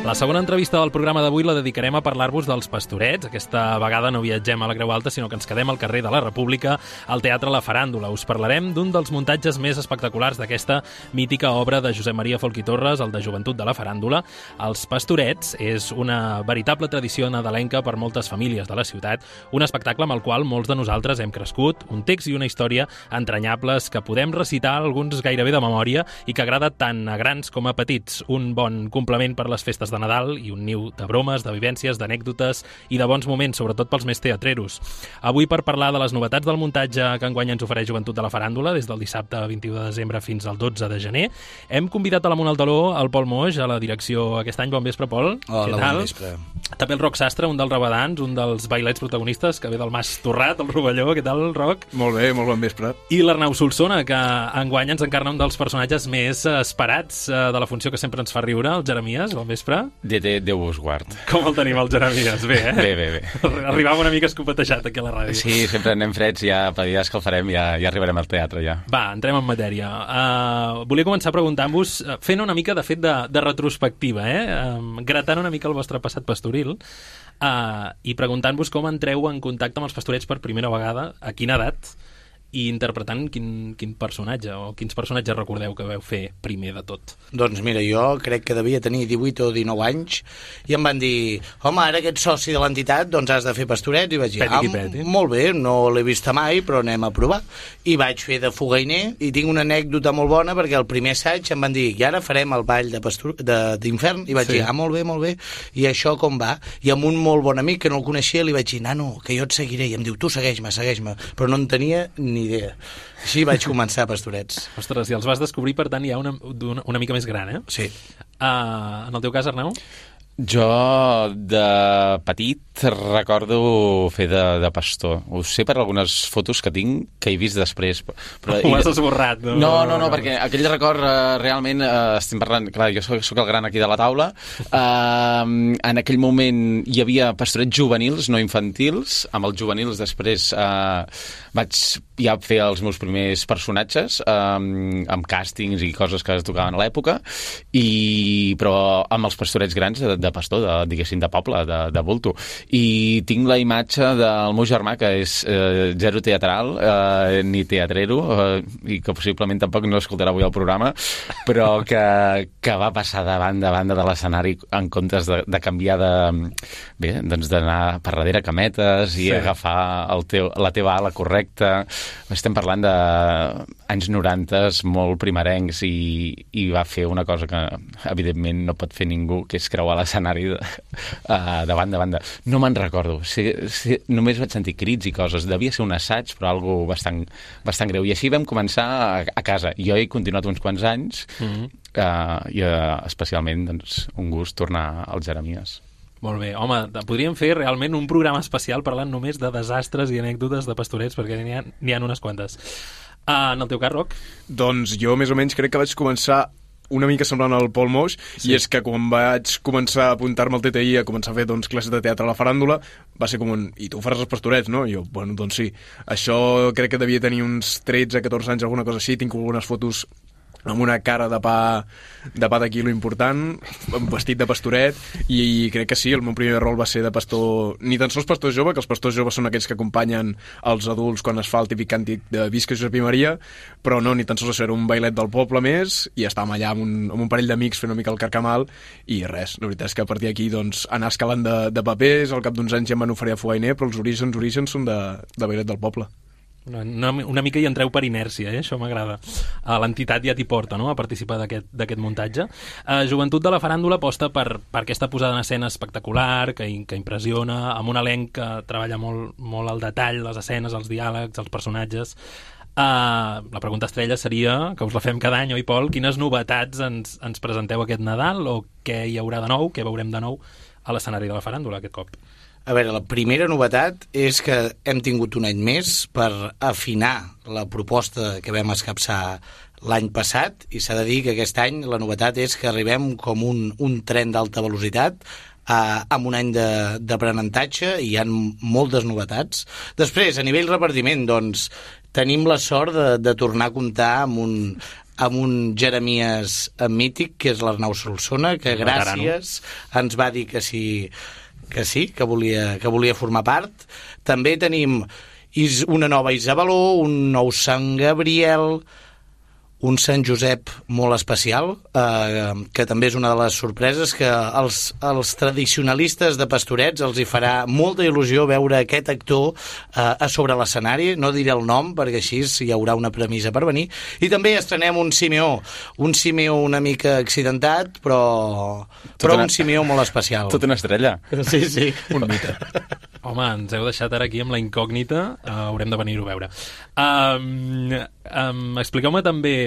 La segona entrevista del programa d'avui la dedicarem a parlar-vos dels Pastorets. Aquesta vegada no viatgem a la Creu Alta, sinó que ens quedem al carrer de la República, al Teatre La Faràndula. Us parlarem d'un dels muntatges més espectaculars d'aquesta mítica obra de Josep Maria Folch i Torres, el de Joventut de la Faràndula. Els Pastorets és una veritable tradició nadalenca per moltes famílies de la ciutat, un espectacle amb el qual molts de nosaltres hem crescut, un text i una història entranyables que podem recitar alguns gairebé de memòria i que agrada tant a grans com a petits. Un bon complement per les festes de Nadal i un niu de bromes, de vivències, d'anècdotes i de bons moments, sobretot pels més teatreros. Avui, per parlar de les novetats del muntatge que enguany ens ofereix Joventut de la Faràndula, des del dissabte vint-i-u de desembre fins al dotze de gener, hem convidat a l'Amunt al Taló el Pol Moix, a la direcció aquest any. Bon vespre, Pol. Hola, bon vespre. També el Roc Sastre, un dels rabadans, un dels bailets protagonistes, que ve del Mas Torrat, el Rovelló. Què tal, Roc? Molt bé, molt bon vespre. I l'Arnau Solsona, que enguany ens encarna un dels personatges més esperats de la funció que sempre ens fa riure, el Jeremies. Bon vespre. De, de, Déu vos guard. Com el tenim, el Jeremies? Bé, eh? Bé, bé, bé. Arribava una mica escopetejat aquí a la ràdio. Sí, sempre anem freds, ja per dies que el farem, ja, ja arribarem al teatre, ja. Va, entrem en matèria. Uh, volia començar preguntant-vos, fent una mica, de fet, de, de retrospectiva, eh? Uh, gratant una mica el vostre passat pastoril, uh, i preguntant-vos com entreu en contacte amb els Pastorets per primera vegada, a quina edat, i interpretant quin, quin personatge o quins personatges recordeu que veu fer primer de tot? Doncs mira, jo crec que devia tenir divuit o dinou anys i em van dir, home, ara que ets soci de l'entitat, doncs has de fer pastorets, i vaig dir, ah, peti. molt bé, no l'he vista mai, però anem a provar. I vaig fer de fogainer, i tinc una anècdota molt bona, perquè el primer assaig em van dir, i ara farem el ball de pastor, de, d'infern, i vaig sí. dir, ah, molt bé, molt bé, i això com va? I amb un molt bon amic que no el coneixia li vaig dir, nano, que jo et seguiré, i em diu, tu segueix-me, segueix-me, però no en tenia ni idea. Així vaig començar a pastorets. Ostres, i els vas descobrir, per tant, ja una, una, una mica més gran, eh? Sí. Uh, en el teu cas, Arnau? Jo, de petit, recordo fer de, de pastor. Ho sé per algunes fotos que tinc que he vist després. Però, Ho has esborrat, no? No, no, no, perquè aquell record uh, realment uh, estem parlant... Clar, jo soc, soc el gran aquí de la taula. Uh, en aquell moment hi havia pastorets juvenils, no infantils. Amb els juvenils després uh, vaig ja fer els meus primers personatges um, amb càstings i coses que es tocaven a l'època, i però amb els pastorets grans de, de pastor, de, diguéssim, de poble, de, de bulto. I tinc la imatge del meu germà, que és eh, zero teatral, eh, ni teatrero, eh, i que possiblement tampoc no escoltarà avui el programa, però que, que va passar davant, davant de l'escenari en comptes de, de canviar de... Bé, doncs d'anar per darrere cametes i sí. agafar el teu, la teva ala correcta. Estem parlant d'anys noranta, molt primerencs, i, i va fer una cosa que evidentment no pot fer ningú, que és creuar l'escenari de, uh, de banda a banda. No me'n recordo. Sí, sí, només vaig sentir crits i coses. Devia ser un assaig, però algo bastant, bastant greu. I així vam començar a, a casa. Jo he continuat uns quants anys, mm-hmm. uh, i uh, especialment doncs, un gust tornar als Jeremies. Molt bé. Home, podríem fer realment un programa especial parlant només de desastres i anècdotes de pastorets, perquè n'hi ha, n'hi ha unes quantes. Uh, en el teu cas, Roc? Doncs jo més o menys crec que vaig començar una mica semblant al Pol Moix, sí. i és que quan vaig començar a apuntar-me al T T I a començar a fer doncs, classes de teatre a la faràndula, va ser com un, i tu faràs els pastorets, no? I jo, bueno, doncs sí. Això crec que devia tenir uns tretze catorze anys, alguna cosa així, tinc algunes fotos amb una cara de pa de pa de quilo important, vestit de pastoret, i crec que sí, el meu primer rol va ser de pastor, ni tan sols pastor jove, que els pastors joves són aquells que acompanyen els adults quan es fa el típic càntic de Visca Josep i Maria, però no, ni tan sols això, era un bailet del poble més, i estàvem allà amb un, amb un parell d'amics fent una mica el carcamal, i res, la veritat és que a partir d'aquí doncs, anar escalant de, de papers, al cap d'uns anys ja em van oferir a fogainer, però els orígens, orígens són de, de bailet del poble. Una, una mica hi entreu per inèrcia, eh? Això m'agrada. Uh, l'entitat ja t'hi porta, no?, a participar d'aquest muntatge. Uh, Joventut de la Faràndula aposta per, per aquesta posada en escena espectacular, que, que impressiona, amb un elenc que treballa molt, molt al detall, les escenes, els diàlegs, els personatges. Uh, la pregunta estrella seria, que us la fem cada any, oi, Pol? Quines novetats ens, ens presenteu aquest Nadal, o què hi haurà de nou, què veurem de nou a l'escenari de la Faràndula aquest cop? A veure, la primera novetat és que hem tingut un any més per afinar la proposta que vam escapçar l'any passat, i s'ha de dir que aquest any la novetat és que arribem com un, un tren d'alta velocitat eh, amb un any d'aprenentatge, i hi ha moltes novetats. Després, a nivell repartiment, doncs, tenim la sort de, de tornar a comptar amb un, amb un Jeremies mític, que és l'Arnau Solsona, que gràcies ens va dir que sí, que sí, que volia, que volia formar part. També tenim una nova Isabeló, un nou Sant Gabriel, un Sant Josep molt especial, eh, que també és una de les sorpreses, que els, els tradicionalistes de pastorets els hi farà molta il·lusió veure aquest actor eh, a sobre l'escenari. No diré el nom, perquè així hi haurà una premissa per venir. I també estrenem un Simeó, un Simeó una mica accidentat, però, però una, un Simeó molt especial. Tota una estrella. Sí, sí. Un mite. Home, ens heu deixat ara aquí amb la incògnita, uh, haurem de venir-ho a veure. Um, um, Expliqueu-me també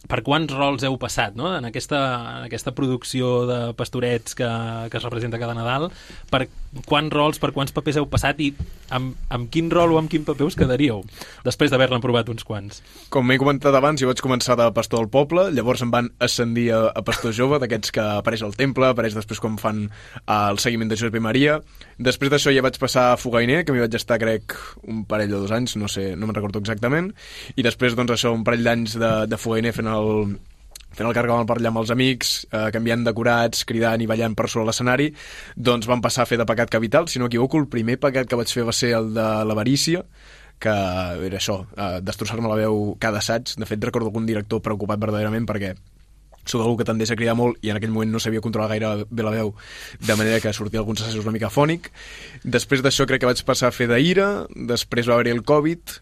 per quants rols heu passat, no?, en aquesta, en aquesta producció de pastorets que, que es representa cada Nadal. Per quants rols, per quants papers heu passat, i amb, amb quin rol o amb quin paper us quedaríeu després d'haver-ne provat uns quants? Com m'he comentat abans, jo vaig començar de pastor al poble, llavors em van ascendir a, a pastor jove, d'aquests que apareix al temple, apareix després quan fan uh, el seguiment de Josep i Maria. Després d'això ja vaig passar a fogainer, que m'hi vaig estar, crec, un parell o dos anys, no sé, no me'n recordo exactament, i després, doncs, això, un parell d'anys de, de fogainer fent el, fent el carcamal per allà amb els amics, eh, canviant decorats, cridant i ballant per sobre l'escenari. Doncs vam passar a fer de pecat capital, si no m'equivoco. El primer pecat que vaig fer va ser el de l'avarícia, que era això, uh, destrossar-me la veu cada assaig. De fet, recordo algun director preocupat verdaderament perquè soc algú que tendeix a cridar molt i en aquell moment no sabia controlar gaire bé la veu, de manera que sortia alguns assajos una mica fònic. Després d'això crec que vaig passar a fer d'Ira, després va haver-hi el Covid,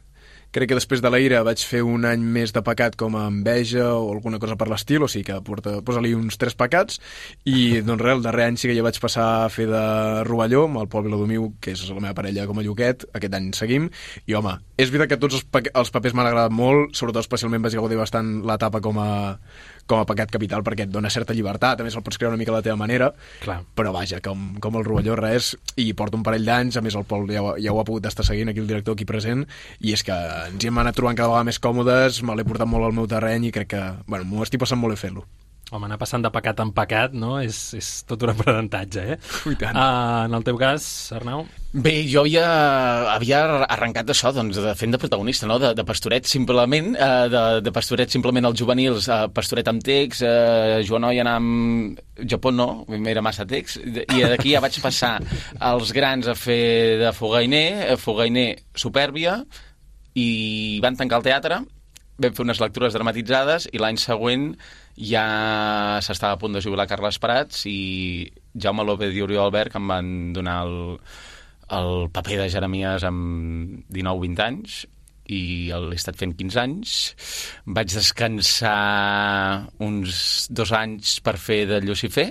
crec que després de la Ira vaig fer un any més de pecat com a Enveja o alguna cosa per l'estil, o sigui que porta, posa-li uns tres pecats, i doncs res, el darrer any sí que ja vaig passar a fer de Rovelló amb el Pol Viladomiu, que és la meva parella com a Lluquet, aquest any seguim, i home, és veritat que tots els, pa els papers m'han agradat molt, sobretot especialment vaig gaudir bastant l'etapa com a com a pecat capital, perquè et dona certa llibertat, a més el pots crear una mica a la teva manera. Clar. Però vaja, com, com el Rovelló res, i porta un parell d'anys, a més el Pol ja, ja ho ha pogut estar seguint, aquí el director aquí present, i és que ens hi hem anat trobant cada vegada més còmodes, me l'he portat molt al meu terreny i crec que, bueno, m'ho estic passant molt bé fer-lo. Home, anar passant de pecat en pecat, no? És, és tot un aprenentatge, eh? I tant. Uh, en el teu cas, Arnau? Bé, jo havia, havia arrencat això, doncs, de fent de protagonista, no? De, de pastoret simplement, uh, de, de pastoret simplement als juvenils, uh, pastoret amb text, uh, Joanoi anar amb... Japó no, era massa text, i d'aquí ja vaig passar als grans a fer de fogainer, fogainer Supèrbia, i van tancar el teatre, vam fer unes lectures dramatitzades i l'any següent ja s'estava a punt de jubilar Carles Prats i Jaume López i Oriol Albert, que em van donar el, el paper de Jeremies amb dinou vint anys i l'he estat fent quinze anys. Vaig descansar uns dos anys per fer de Llucifer,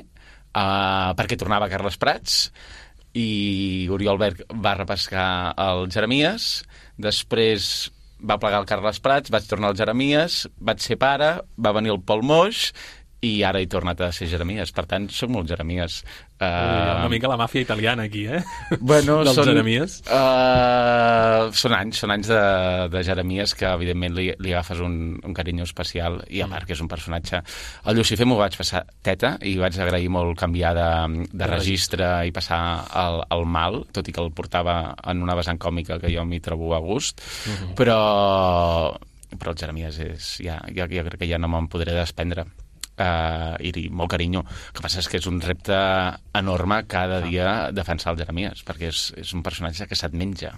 uh, perquè tornava Carles Prats, i Oriol Albert va repescar el Jeremies. Després va plegar el Carles Prats, vaig tornar al Jeremies, vaig ser pare, va venir el Pol Moix i ara he tornat a ser Jeremies. Per tant, soc molt Jeremies. Uh... Una mica la màfia italiana aquí, eh? Bueno, dels són, Jeremies. Uh, són anys, són anys de, de Jeremies que, evidentment, li, li agafes un, un carinyo especial i, a part, que és un personatge... El Llucifer m'ho vaig passar teta i vaig agrair molt canviar de, de registre i passar al, al mal, tot i que el portava en una vessant còmica que jo m'hi trobo a gust, uh-huh. però, però el Jeremies és... Ja, jo, jo crec que ja no me'n podré desprendre. Uh, i molt carinyo. El que passa és que és un repte enorme cada dia defensar el Jeremies, perquè és, és un personatge que se't menja.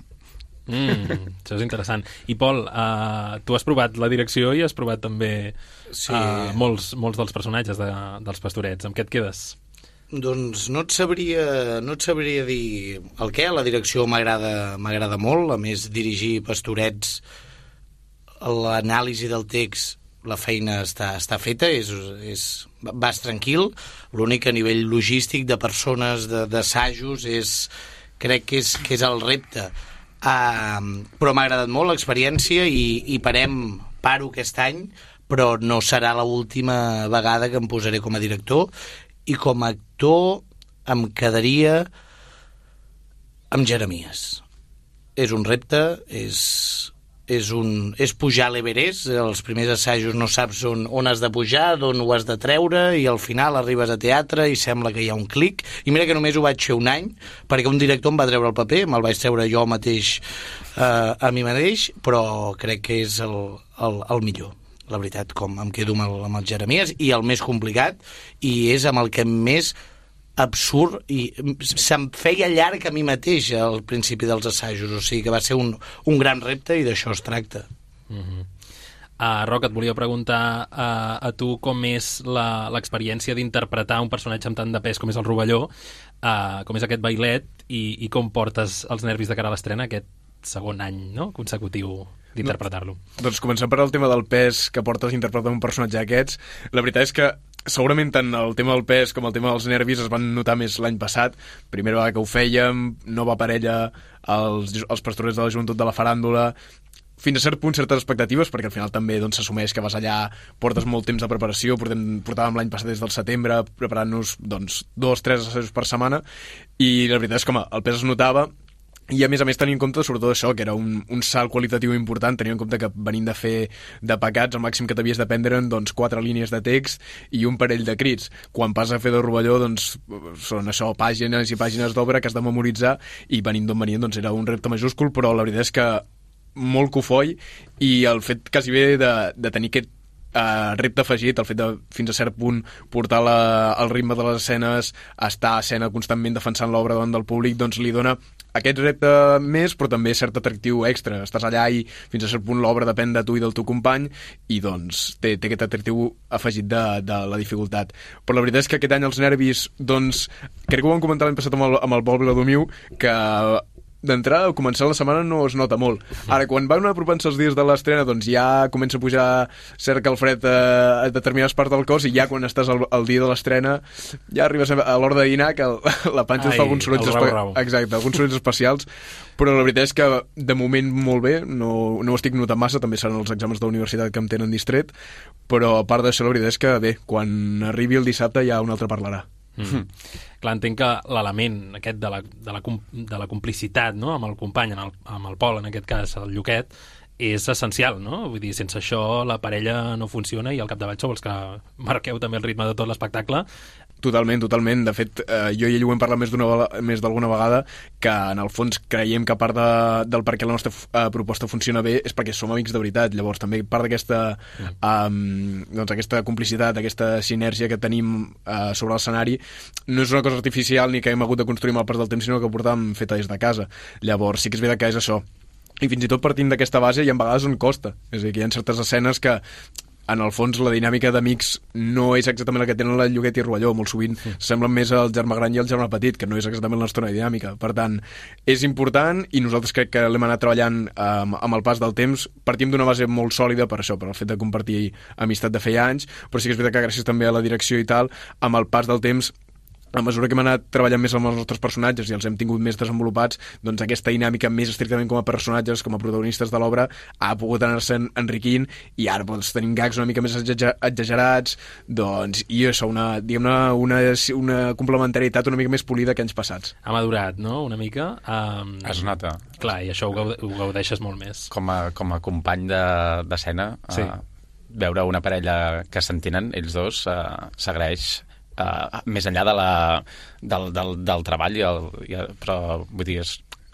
Mm, això és interessant. I Pol, uh, tu has provat la direcció i has provat també sí. uh, molts, molts dels personatges de, dels Pastorets. Amb què et quedes? Doncs no et sabria, no et sabria dir el què. La direcció m'agrada m'agrada molt. A més, dirigir Pastorets, l'anàlisi del text, la feina està, està feta, és, és, vas tranquil. L'únic a nivell logístic de persones, d'assajos, és, crec que és, que és el repte. Uh, però m'ha agradat molt l'experiència i, i parem, paro aquest any, però no serà l'última vegada que em posaré com a director, i com a actor em quedaria amb Jeremies. És un repte, és... És, un, és pujar a l'Everest, els primers assajos no saps on, on has de pujar, d'on ho has de treure, i al final arribes a teatre i sembla que hi ha un clic. I mira que només ho vaig fer un any, perquè un director em va treure el paper, me'l vaig treure jo mateix eh, a mi mateix, però crec que és el, el, el millor. La veritat, com em quedo amb el, amb el Jeremies, i el més complicat, i és amb el que més absurd, i se'm feia llarg a mi mateix al principi dels assajos, o sigui que va ser un, un gran repte i d'això es tracta. Uh-huh. uh, Roc, et volia preguntar uh, a tu com és l'experiència d'interpretar un personatge amb tant de pes com és el Rovelló, uh, com és aquest bailet, i, i com portes els nervis de cara a l'estrena aquest segon any, no?, consecutiu d'interpretar-lo. No, doncs començant per el tema del pes que portes interpretar un personatge d'aquests, la veritat és que segurament tant el tema del pes com el tema dels nervis es van notar més l'any passat. Primera vegada que ho fèiem, nova parella, els, els pastorets de la joventut de la faràndula, fins a cert punt certes expectatives, perquè al final també doncs, s'assumeix que vas allà, portes molt temps de preparació, portem, portàvem l'any passat des del setembre preparant-nos doncs, dos, tres assajos per setmana, i la veritat és que home, el pes es notava. I a més a més tenint en compte sobretot això, que era un, un salt qualitatiu important, tenint en compte que venint de fer de pecats, el màxim que t'havies de prendre doncs, quatre línies de text i un parell de crits. Quan passes a fer de Rovelló doncs, són això, pàgines i pàgines d'obra que has de memoritzar, i venint d'on venien doncs, era un repte majúscul, però la veritat és que molt cofoi, i el fet quasi bé de, de tenir aquest Uh, repte afegit, el fet de fins a cert punt portar la, el ritme de les escenes, estar a escena constantment defensant l'obra davant del públic, doncs li dona aquest repte més, però també cert atractiu extra. Estàs allà i fins a cert punt l'obra depèn de tu i del teu company i doncs té, té aquest atractiu afegit de, de la dificultat. Però la veritat és que aquest any els nervis, doncs, crec que ho vam comentar l'any passat amb el, amb el Pol Viladomiu, que d'entrada, al començar la setmana no es nota molt. Ara, quan van apropant-se els dies de l'estrena, doncs ja comença a pujar cert calfred a, a determinades parts del cos i ja quan estàs al, al dia de l'estrena ja arribes a l'hora de dinar que el, la panxa Ai, fa alguns sorolls, espe exacte, alguns sorolls especials, però la veritat és que de moment molt bé, no, no ho estic notant massa, també seran els exàmens de la universitat que em tenen distret, però a part d'això la veritat és que bé, quan arribi el dissabte ja un altre parlarà. Mm. Clar, entenc que l'element aquest de la, de, la, de la complicitat, no?, amb el company, amb el, amb el Pol, en aquest cas el Lluquet, és essencial, no? Vull dir, sense això la parella no funciona i al capdavall sou els que marqueu també el ritme de tot l'espectacle. Totalment, totalment. De fet, eh, jo i ell ho hem parlat més d'una més d'alguna vegada, que en el fons creiem que a part de, del per què la nostra eh, proposta funciona bé és perquè som amics de veritat. Llavors també part d'aquesta mm. um, doncs aquesta complicitat, aquesta sinergia que tenim uh, sobre l'escenari no és una cosa artificial ni que hem hagut de construir amb el pas del temps, sinó que ho portàvem feta des de casa. Llavors sí que és veritat que és això. I fins i tot partint d'aquesta base hi ha vegades on costa. És a dir, que hi ha certes escenes que en el fons la dinàmica d'amics no és exactament la que tenen la Lloguet i Rovelló, molt sovint mm. semblen més el germà gran i el germà petit, que no és exactament la nostra dinàmica. Per tant, és important i nosaltres crec que l'hem anat treballant um, amb el pas del temps. Partim d'una base molt sòlida per això, per el fet de compartir amistat de feia anys, però sí que és veritat que gràcies també a la direcció i tal, amb el pas del temps, a mesura que hem anat treballant més amb els nostres personatges i els hem tingut més desenvolupats, doncs aquesta dinàmica més estrictament com a personatges, com a protagonistes de l'obra, ha pogut anar-se enriquint i ara doncs, tenim gags una mica més exagerats, doncs, i això, una, diguem-ne, una, una complementarietat una mica més polida que anys passats. Ha madurat, no?, una mica. Um, es nota. Clar, i això ho, gaude ho gaudeixes molt més. Com a, com a company d'escena, de, sí. uh, veure una parella que s'entenen, ells dos, uh, s'agraeix. Uh, més enllà de la, del, del, del treball i el, i el, però vull dir, es,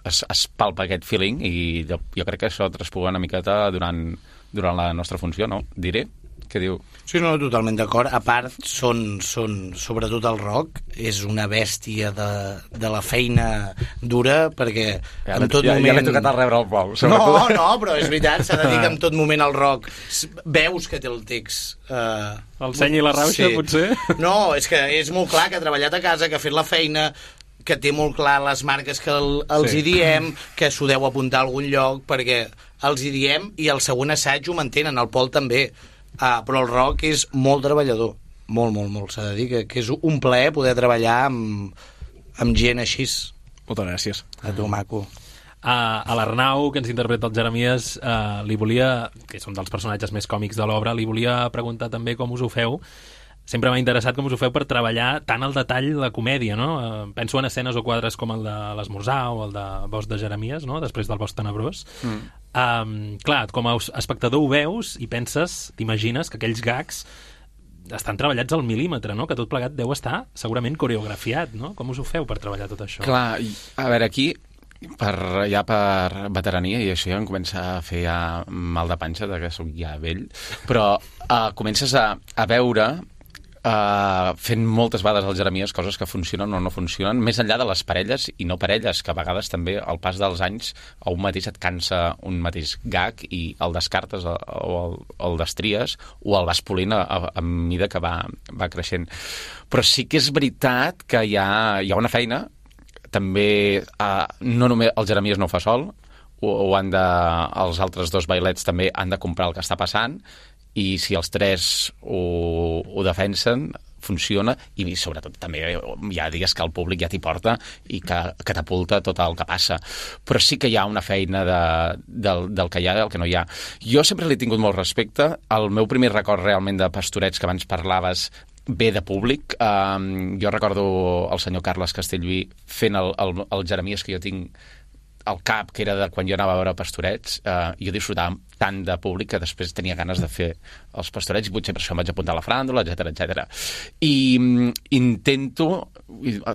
es, es palpa aquest feeling i jo, jo crec que això traspuga una miqueta durant, durant la nostra funció, no? Diré? Què diu? Sí, no, totalment d'acord. A part, són, són, sobretot el Roc, és una bèstia de, de la feina dura, perquè ja en tot ja, moment... Ja l'he tocat al rebre el Pol. No, no, però és veritat, s'ha de dir que en tot moment el Roc veus que té el text... Uh, el seny i la rauxa, sí. Potser? No, és que és molt clar que ha treballat a casa, que ha fet la feina, que té molt clar les marques que el, els sí. hi diem, que s'ho deu apuntar a algun lloc, perquè els hi diem i el següent assaig ho mantenen, el Pol també. Ah, però el Roc és molt treballador, molt, molt, molt, s'ha de dir que, que és un plaer poder treballar amb, amb gent així. Moltes gràcies. A tu, maco. A, a l'Arnau, que ens interpreta el Jeremies, uh, li volia, que és un dels personatges més còmics de l'obra, li volia preguntar també com us ho feu. Sempre m'ha interessat com us ho feu per treballar tant al detall la comèdia, no? Uh, penso en escenes o quadres com el de l'esmorzar o el de Bosc de Jeremies, no?, després del Bosc Tenebrós. Mm. Um, clar, com a espectador ho veus i penses, t'imagines que aquells gags estan treballats al mil·límetre, no?, que tot plegat deu estar segurament coreografiat, no? Com us ho feu per treballar tot això? Clar, a veure, aquí per, ja per veterania, i això ja em comença a fer ja mal de panxa, de que soc ja vell, però uh, comences a, a veure... Uh, fent moltes vegades al Jeremies coses que funcionen o no funcionen, més enllà de les parelles i no parelles, que a vegades també al pas dels anys a un mateix et cansa un mateix gag i el descartes o el, el destries o el vas polint a, a, a mida que va, va creixent. Però sí que és veritat que hi ha, hi ha una feina, també uh, no només el Jeremies no ho fa sol, o, o han de, els altres dos bailets també han de comprar el que està passant, i si els tres ho, ho defensen, funciona, i sobretot també hi ha dies que el públic ja t'hi porta i que catapulta tot el que passa. Però sí que hi ha una feina de, del, del que hi ha i del que no hi ha. Jo sempre li he tingut molt respecte. El meu primer record realment de Pastorets, que abans parlaves, ve de públic. Um, jo recordo el senyor Carles Castellví fent el, el, el Jeremies que jo tinc al cap, que era de quan jo anava a veure Pastorets. Uh, jo disfrutava tant de públic que després tenia ganes de fer els Pastorets i potser per això em vaig apuntar a la fràndula, etcètera, etcètera. I um, intento,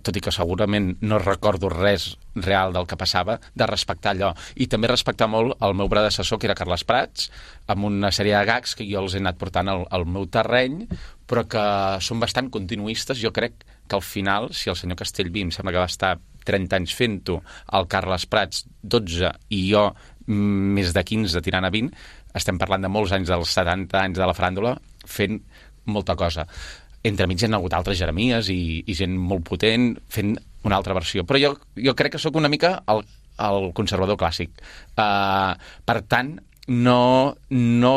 tot i que segurament no recordo res real del que passava, de respectar allò. I també respectar molt el meu predecessor, que era Carles Prats, amb una sèrie de gags que jo els he anat portant al, al meu terreny, però que són bastant continuistes. Jo crec que al final, si el senyor Castellví em sembla que va estar trenta anys fent-ho, el Carles Prats dotze i jo més de quinze tirant a vint, estem parlant de molts anys, dels setanta anys de la faràndula, fent molta cosa. Entremig hi ha hagut altres Jeremies i, i gent molt potent fent una altra versió. Però jo, jo crec que sóc una mica el, el conservador clàssic. Uh, per tant, no, no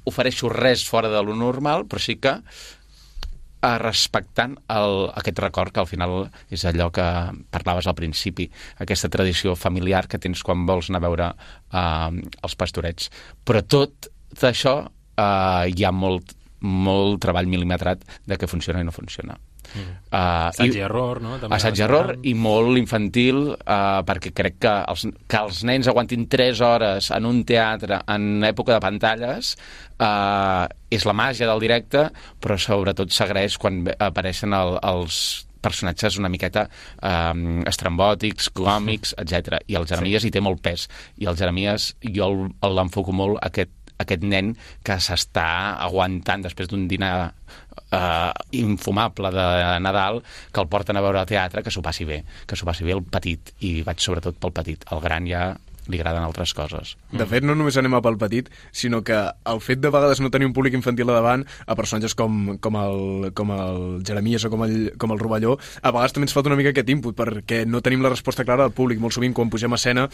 ofereixo res fora de lo normal, però sí que uh, respectant el, aquest record, que al final és allò que parlaves al principi, aquesta tradició familiar que tens quan vols anar a veure uh, els pastorets. Però tot això uh, hi ha molt molt treball mil·limetrat de què funciona i no funciona. Mm. Uh, assaig i error, no? També assaig i error i molt infantil, uh, perquè crec que els, que els nens aguantin tres hores en un teatre en època de pantalles uh, és la màgia del directe, però sobretot s'agraeix quan apareixen el, els personatges una miqueta um, estrambòtics, còmics, etcètera. I el Jeremies sí. hi té molt pes. I el Jeremies jo l'enfoco molt aquest aquest nen que s'està aguantant després d'un dinar uh, infumable de Nadal, que el porten a veure al teatre, que s'ho passi bé, que s'ho passi bé el petit, i vaig sobretot pel petit. El gran ja li agraden altres coses. De fet, no només anem a pel petit, sinó que el fet de vegades no tenir un públic infantil a davant a personatges com, com, el, com el Jeremies o com el, com el Rovelló, a vegades també ens falta una mica aquest input, perquè no tenim la resposta clara del públic. Molt sovint, quan pugem a escena,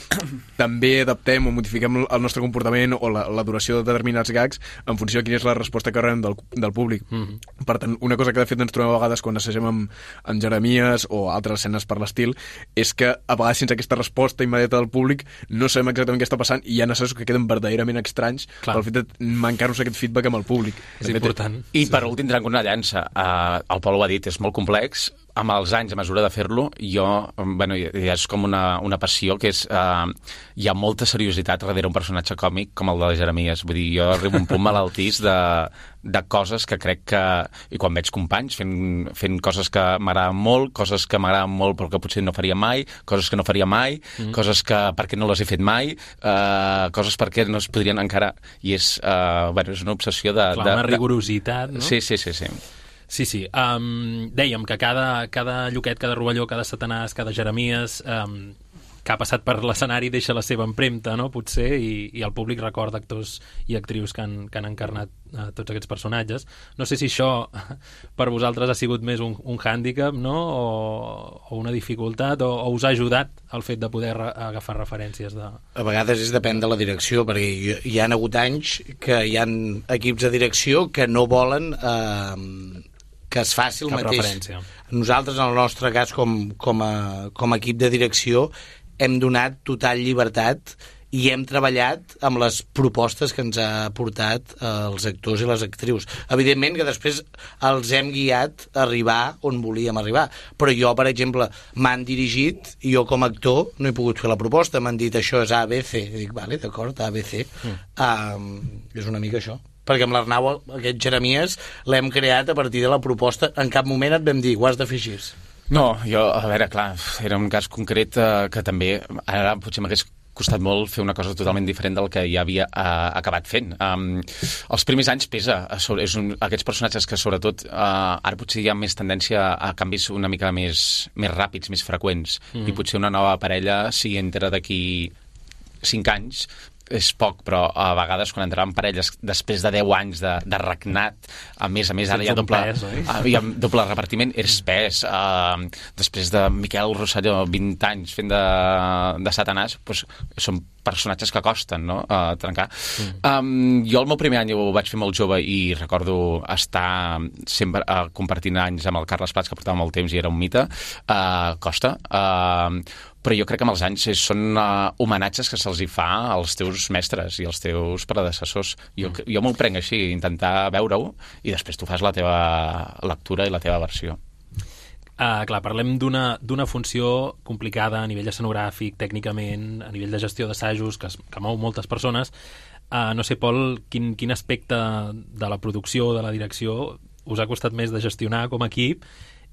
també adaptem o modifiquem el nostre comportament o la, la duració de determinats gags en funció de quina és la resposta que rebem del, del públic. Mm-hmm. Per tant, una cosa que de fet ens trobem a vegades quan assagem amb, amb Jeremies o altres escenes per l'estil és que a vegades sense aquesta resposta immediata del públic no sabem exactament què està passant i hi ha assajos que queden verdaderament estranys Clar. pel fet de mancar-nos aquest feedback amb el públic. És important. I per últim, trenco una llança. Uh, el Pol ho ha dit, és molt complex. Amb els anys, a mesura de fer-lo, jo, bueno, ja és com una, una passió que és... Uh, hi ha molta seriositat darrere un personatge còmic com el de Jeremies. Vull dir, jo arribo a un punt malaltís de, de coses que crec que... I quan veig companys fent, fent coses que m'agraden molt, coses que m'agraden molt però que potser no faria mai, coses que no faria mai, mm. coses que perquè no les he fet mai, uh, coses perquè no es podrien encara... I és, uh, bueno, és una obsessió de... Clar, de, una rigorositat, no? Sí, sí, sí, sí. Sí, sí. Um, dèiem que cada, cada Lluquet, cada Rovelló, cada Satanàs, cada Jeremies um, que ha passat per l'escenari deixa la seva empremta, no? Potser, i, i el públic recorda actors i actrius que han, que han encarnat uh, tots aquests personatges. No sé si això per vosaltres ha sigut més un, un hàndicap, no? O, o una dificultat, o, o us ha ajudat el fet de poder re agafar referències de... A vegades és depèn de la direcció, perquè hi, hi ha hagut anys que hi ha equips de direcció que no volen... Eh, que es faci el Cap mateix. Referència. Nosaltres, en el nostre cas, com, com, a, com a equip de direcció, hem donat total llibertat i hem treballat amb les propostes que ens ha portat els actors i les actrius. Evidentment que després els hem guiat a arribar on volíem arribar, però jo, per exemple, m'han dirigit i jo com a actor no he pogut fer la proposta, m'han dit això és A, B, C. I dic, vale, d'acord, A, B, C. Mm. Um, és una mica això. Perquè amb l'Arnau, aquest Jeremies, l'hem creat a partir de la proposta. En cap moment et vam dir, ho has de fer així. No, jo, a veure, clar, era un cas concret eh, que també, ara potser m'hagués costat molt fer una cosa totalment diferent del que ja havia uh, acabat fent. Um, els primers anys pesa. Sobre, és un, aquests personatges que, sobretot, uh, ara potser hi ha més tendència a canvis una mica més, més ràpids, més freqüents. Mm. I potser una nova parella, si entra d'aquí cinc anys, és poc, però a vegades quan entraven parelles després de deu anys de, de regnat, a més a més ara hi ha doble, pes, hi ha doble repartiment, és pes. Uh, després de Miquel Rosselló, vint anys fent de, de Satanàs, doncs són personatges que costen, no?, a trencar. Mm. Um, jo el meu primer any ho vaig fer molt jove i recordo estar sempre uh, compartint anys amb el Carles Prats, que portava molt temps i era un mite. Uh, costa. Uh, però jo crec que amb els anys són uh, homenatges que se'ls hi fa als teus mestres i als teus predecessors. Jo, mm. jo m'ho prenc així, intentar veure-ho i després tu fas la teva lectura i la teva versió. Uh, clar, parlem d'una d'una funció complicada a nivell escenogràfic, tècnicament, a nivell de gestió d'assajos, que, es, que mou moltes persones. Uh, no sé, Pol, quin, quin aspecte de la producció, de la direcció, us ha costat més de gestionar com a equip?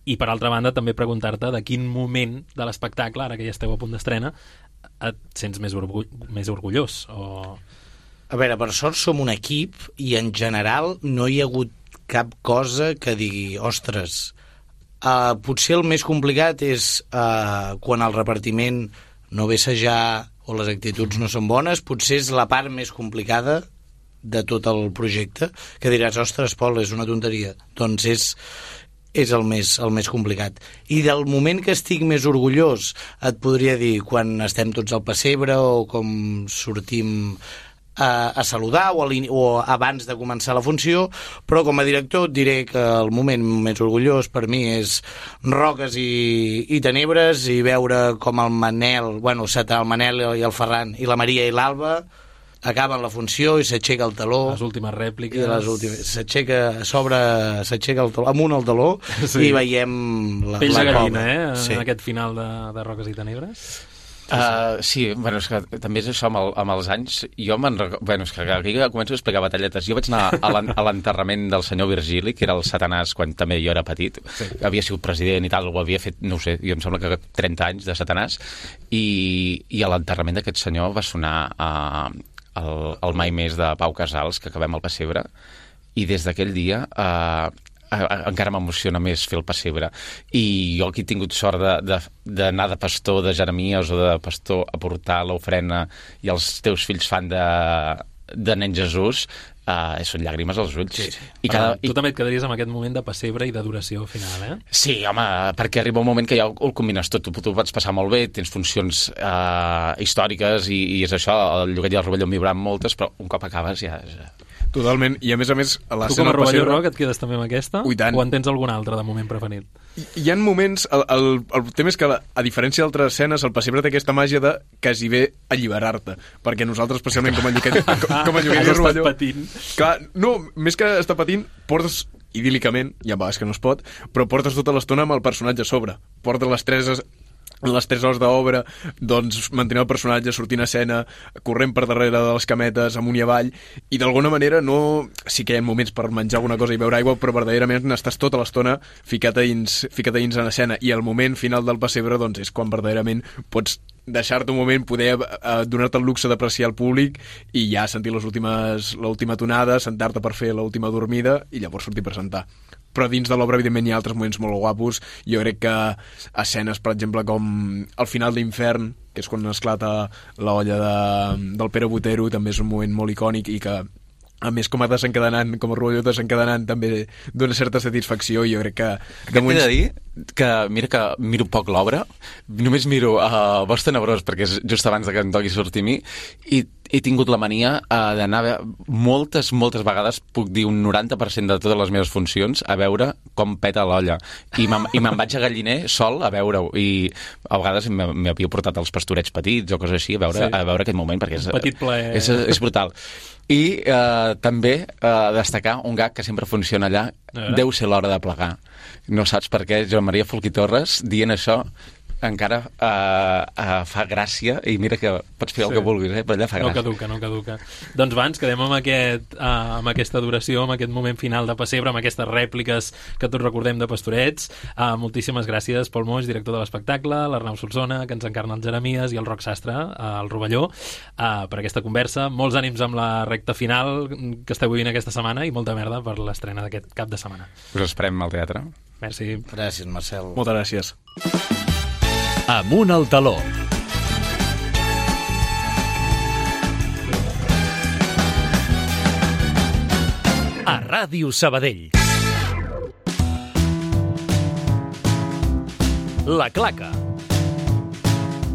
I, per altra banda, també preguntar-te de quin moment de l'espectacle, ara que ja esteu a punt d'estrena, et sents més, orgull, més orgullós? O... A veure, per sort som un equip i, en general, no hi ha hagut cap cosa que digui, ostres, Uh, potser el més complicat és uh, quan el repartiment no ve assajar o les actituds no són bones, potser és la part més complicada de tot el projecte, que diràs, ostres, Pol, és una tonteria. Doncs és, és el, més, el més complicat. I del moment que estic més orgullós, et podria dir quan estem tots al pessebre o com sortim A, a saludar o, a o abans de començar la funció, però com a director et diré que el moment més orgullós per mi és Roques i, i Tenebres, i veure com el Manel, bueno, el Manel i el Ferran i la Maria i l'Alba acaben la funció i s'aixeca el taló. Les últimes rèpliques. I les últimes. S'aixeca, s'obre, s'aixeca el taló, amunt el taló, sí. I veiem la, Pells la de gallina, eh? Sí. En aquest final de, de Roques i Tenebres. Uh, sí, bueno, és que també és això amb, el, amb els anys. Jo me'n recordo... Bueno, és que aquí començo a explicar batalletes. Jo vaig anar a l'enterrament del senyor Virgili, que era el Satanàs quan també jo era petit. Sí. Havia sigut president i tal, ho havia fet, no ho sé, jo em sembla que trenta anys de Satanàs. I, i a l'enterrament d'aquest senyor va sonar uh, el, el Mai Més de Pau Casals, que acabem al pessebre. I des d'aquell dia... Uh, encara m'emociona més fer el pessebre, i jo aquí he tingut sort d'anar de, de, de pastor de Jeremies o de pastor a portar l'ofrena i els teus fills fan de, de nen Jesús, uh, són llàgrimes als ulls. Sí, sí. I cada, tu i... també et quedaries amb aquest moment de pessebre i d'adoració final, eh? Sí, home, perquè arriba un moment que ja ho combines tot, tu, tu pots passar molt bé, tens funcions uh, històriques i, i és això, el Lloguet i el Rovelló en vibran moltes, però un cop acabes ja... És... Totalment, i a més a més a tu com a Rovelló Roc et quedes també amb aquesta? Ui, o en tens algun altre de moment preferit? Hi, hi ha moments, el, el, el tema és que a, a diferència d'altres escenes, el pessebre té aquesta màgia de quasi bé alliberar-te, perquè nosaltres especialment com a Lloguet, com, com a Lloguet i Rovelló patint. Clar, no, més que estar patint, portes idíl·licament, ja va, és que no es pot, però portes tota l'estona amb el personatge a sobre, portes les tres en les tres hores d'obra, doncs mantenir el personatge, sortint a escena, corrent per darrere de les cametes, amunt i avall, i d'alguna manera no... Sí que hi ha moments per menjar alguna cosa i beure aigua, però verdaderament estàs tota l'estona ficat a dins, ficat a dins en escena, i el moment final del pessebre doncs, és quan verdaderament pots deixar-te un moment, poder eh, donar-te el luxe d'apreciar el públic i ja sentir les últimes, l'última tonada, sentar-te per fer l'última dormida i llavors sortir a presentar. Però dins de l'obra, evidentment, hi ha altres moments molt guapos. Jo crec que escenes, per exemple, com el final d'Infern, que és quan esclata l'olla de, del Pere Botero, també és un moment molt icònic i que, a més, com a desencadenant, com a Rovelló desencadenant, també dona certa satisfacció, i jo crec que... que moments... T'he de dir que, mira que miro poc l'obra, només miro uh, Bosc Tenebrós, perquè és just abans de que em toqui sortir a mi, i he tingut la mania uh, d'anar a moltes, moltes vegades, puc dir un noranta per cent de totes les meves funcions, a veure com peta l'olla. I me'n vaig a Galliner sol a veure-ho, i a vegades m'havia portat els pastorets petits o coses així, a veure, sí. a veure aquest moment, perquè és, petit plaer. és, és brutal. I eh, també eh, destacar un gag que sempre funciona allà, deu ser l'hora de plegar. No saps per què Joan Maria Folch i Torres dient això encara uh, uh, fa gràcia, i mira que pots fer sí. el que vulguis, eh? Però allà fa gràcia. No caduca, no caduca. Doncs va, ens quedem amb, aquest, uh, amb aquesta duració, amb aquest moment final de pessebre, amb aquestes rèpliques que tots recordem de Pastorets. Uh, moltíssimes gràcies, Pol Moix, director de l'espectacle, l'Arnau Solsona, que ens encarna el Jeremies, i el Roc Sastre, uh, el Rovelló, uh, per aquesta conversa. Molts ànims amb la recta final que esteu vivint aquesta setmana, i molta merda per l'estrena d'aquest cap de setmana. Us esperem al teatre. Merci. Gràcies, Marcel. Moltes gràcies. Amunt al taló. A Ràdio Sabadell. La Claca.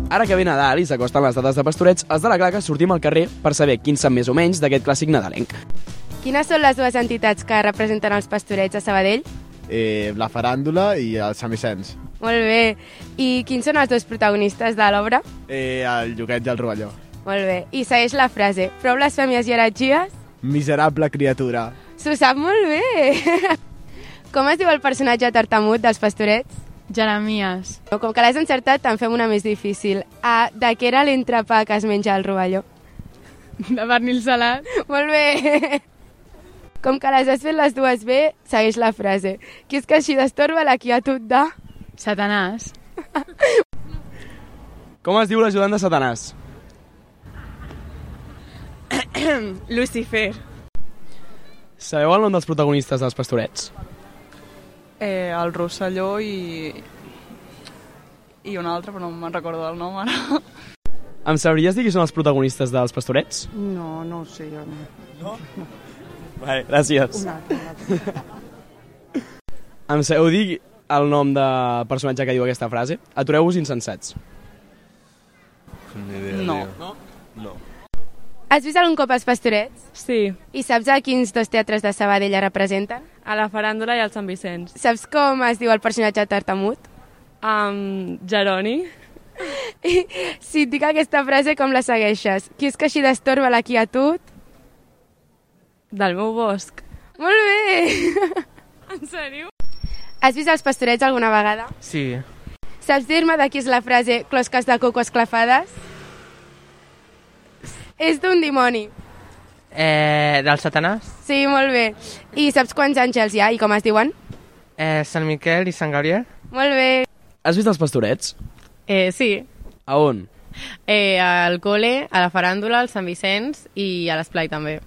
Ara que ve Nadal i s'acosten les dates de Pastorets, els de la Claca sortim al carrer per saber quins sap més o menys d'aquest clàssic nadalenc. Quines són les dues entitats que representen els Pastorets a Sabadell? Eh, la Faràndula i el Sant Vicenç. Molt bé. I quins són els dos protagonistes de l'obra? Eh, el Lloguet i el Rovelló. Molt bé. I segueix la frase: prou blasfèmies i heretgies? Miserable criatura. S'ho sap molt bé. Com es diu el personatge tartamut dels Pastorets? Jeremies. Com que l'has encertat, te'n fem una més difícil. Ah, de què era l'entrepà que es menja el Rovelló? De pernil salat. Molt bé. Com que les has fet les dues bé, segueix la frase: qui és que així destorba la quietud de... Satanàs. Com es diu l'ajudant de Satanàs? Lucifer. Sabeu el nom dels protagonistes dels Pastorets? Eh, el Rosselló i... i un altre, però no me'n recordo del nom ara. Em sabries dir qui són els protagonistes dels Pastorets? No, no ho sé, jo no. No? No. Vale, gràcies. Un altre, un altre. Em sabeu dir el nom del personatge que diu aquesta frase? Atureu-vos insensats. No. No? No. Has vist algun cop els Pastorets? Sí. I saps a quins dos teatres de Sabadell representen? A la Faràndula i al Sant Vicenç. Saps com es diu el personatge tartamut? Um, Jeroni. I si et dic aquesta frase, com la segueixes? Qui és que així destorba la quietud? Del meu bosc. Molt bé! En sèrio? Has vist els Pastorets alguna vegada? Sí. Saps dir-me de qui és la frase closques de coco esclafades? És d'un dimoni. Eh, del Satanàs? Sí, molt bé. I saps quants àngels hi ha i com es diuen? Eh, Sant Miquel i Sant Gabriel? Molt bé. Has vist els Pastorets? Eh, sí. A on? Eh, al col·le, a la Faràndula, al Sant Vicenç i a l'Esplai també.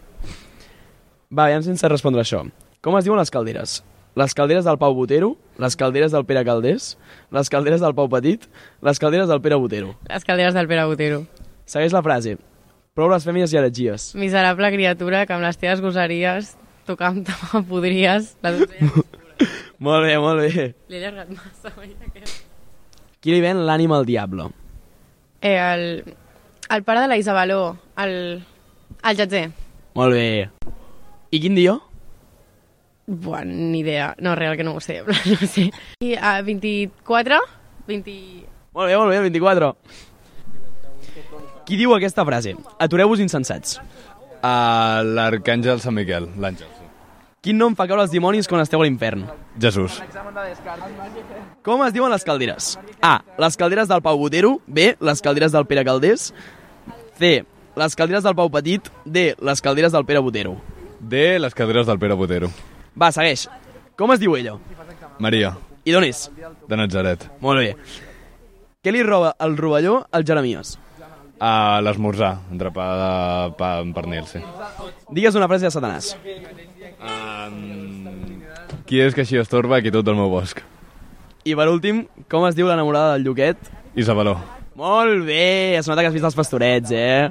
Va, aviam sense respondre això. Com es diuen les calderes? Les calderes del Pau Botero, les calderes del Pere Calders, les calderes del Pau Petit, les calderes del Pere Botero. Les calderes del Pere Botero. Segueix la frase. Prou blasfèmies i heretgies. Miserable criatura que amb les teves gosaries tocant te podries. La donzella. Molt bé, molt bé. L'he allargat massa, veia que... Qui li ven l'ànima al diable? Eh, el, el pare de la Isabeló, el, el Jatzer. Molt bé. I quin dia? Buah, ni idea. No, real que no ho sé. No ho sé. I a uh, vint-i-quatre? vint... Molt bé, molt bé, el vint-i-quatre. Qui diu aquesta frase? Atureu-vos insensats. Uh, L'arcàngel Sant Miquel, l'àngel. Sí. Quin nom fa caure els dimonis quan esteu a l'infern? Jesús. Com es diuen les calderes? A. Les calderes del Pau Botero. B. Les calderes del Pere Calders. C. Les calderes del Pau Petit. D. Les calderes del Pere Botero. D. Les calderes del Pere Botero. Va, segueix. Com es diu ella? Maria. I d'on és? De Natzaret. Molt bé. Què li roba el rovelló al Jeremies? A l'esmorzar, entrepà de pa amb pernil, sí. Digues una frase de Satanàs. Um, qui és que així estorba aquí tot el meu bosc? I per últim, com es diu l'enamorada del Lluquet? Isabeló. Molt bé, es nota que has vist els Pastorets, eh?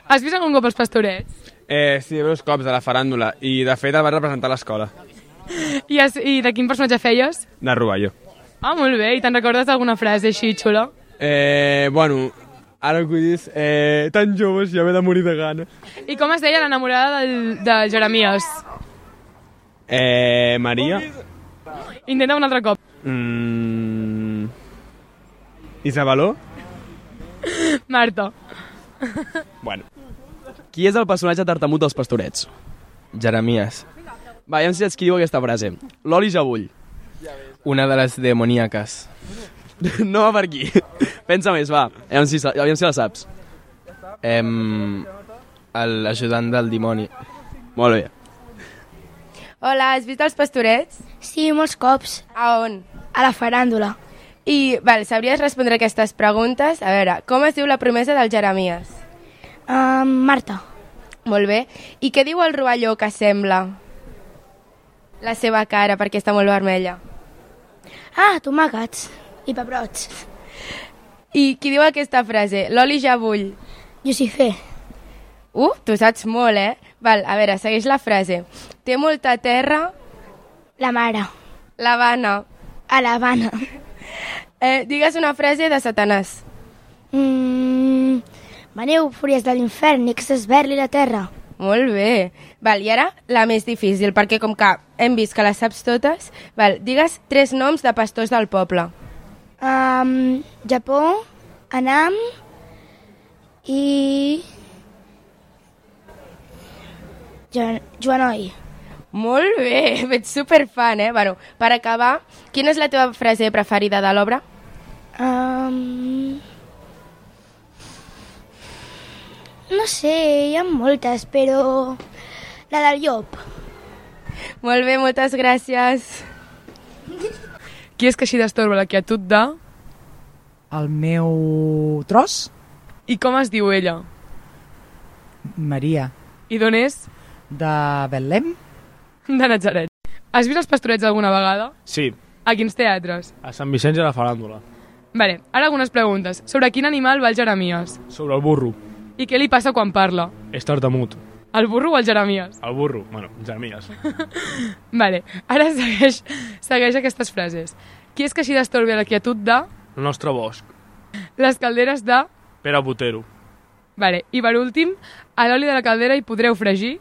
Has vist algun cop els Pastorets? Eh, sí, dos cops a la faràndula, i de fet el va representar a l'escola. I, has, I de quin personatge feies? De Rovelló. Ah, molt bé, i te'n recordes d'alguna frase així xula? Eh, bueno, ara que ho dius, eh, tan joves ja m'he de morir de gana. I com es deia l'enamorada del, de Jeremies? Eh, Maria. Intenta un altre cop. Mm... Isabeló? Marta. Bueno. Qui és el personatge tartamut dels Pastorets? Jeremies. Va, ja em saps qui diu aquesta frase. L'oli ja bull. Una de les demoníaques. No va per aquí. Pensa més, va. Aviam si, aviam si la saps. Em... L'ajudant del dimoni. Molt bé. Hola, has vist els Pastorets? Sí, molts cops. A on? A la faràndula. I, val, sabries respondre aquestes preguntes? A veure, com es diu la promesa del Jeremies? Uh, Marta. Molt bé. I què diu el rovelló que sembla? La seva cara, perquè està molt vermella. Ah, tomàquets i pebrots. I qui diu aquesta frase? L'oli ja bull. Lucifer. Uh, tu saps molt, eh? Val, a veure, segueix la frase. Té molta terra... La mare. L'Havana. A l'Havana. Eh, digues una frase de Satanàs. Mm, veneu, fúries de l'infern, i que s'esberli la terra. Molt bé. Val, i ara la més difícil, perquè com que hem vist que les saps totes, val, digues tres noms de pastors del poble. Um, Japó, Anam i... Jo, Joanoi. Molt bé, ets superfan, eh? Bueno, per acabar, quina és la teva frase preferida de l'obra? Um... No sé, hi ha moltes, però la del llop. Molt bé, moltes gràcies. Qui és que així destorba la quietud de... El meu tros? I com es diu ella? Maria. I d'on és? De Betlem? De Natzaret. Has vist els Pastorets alguna vegada? Sí, A quins teatres? a Sant Vicenç i a la Faràndula. Vale, ara algunes preguntes. Sobre quin animal va el Jeremies? Sobre el burro. I què li passa quan parla? És tartamut. El burro o el Jeremies? El burro, bueno, Jeremies. Vale, ara segueix, segueix aquestes frases. Qui és que així d'estorbi la quietud de... El nostre bosc. Les calderes de... Pere Botero. Vale, i per últim, a l'oli de la caldera hi podreu fregir...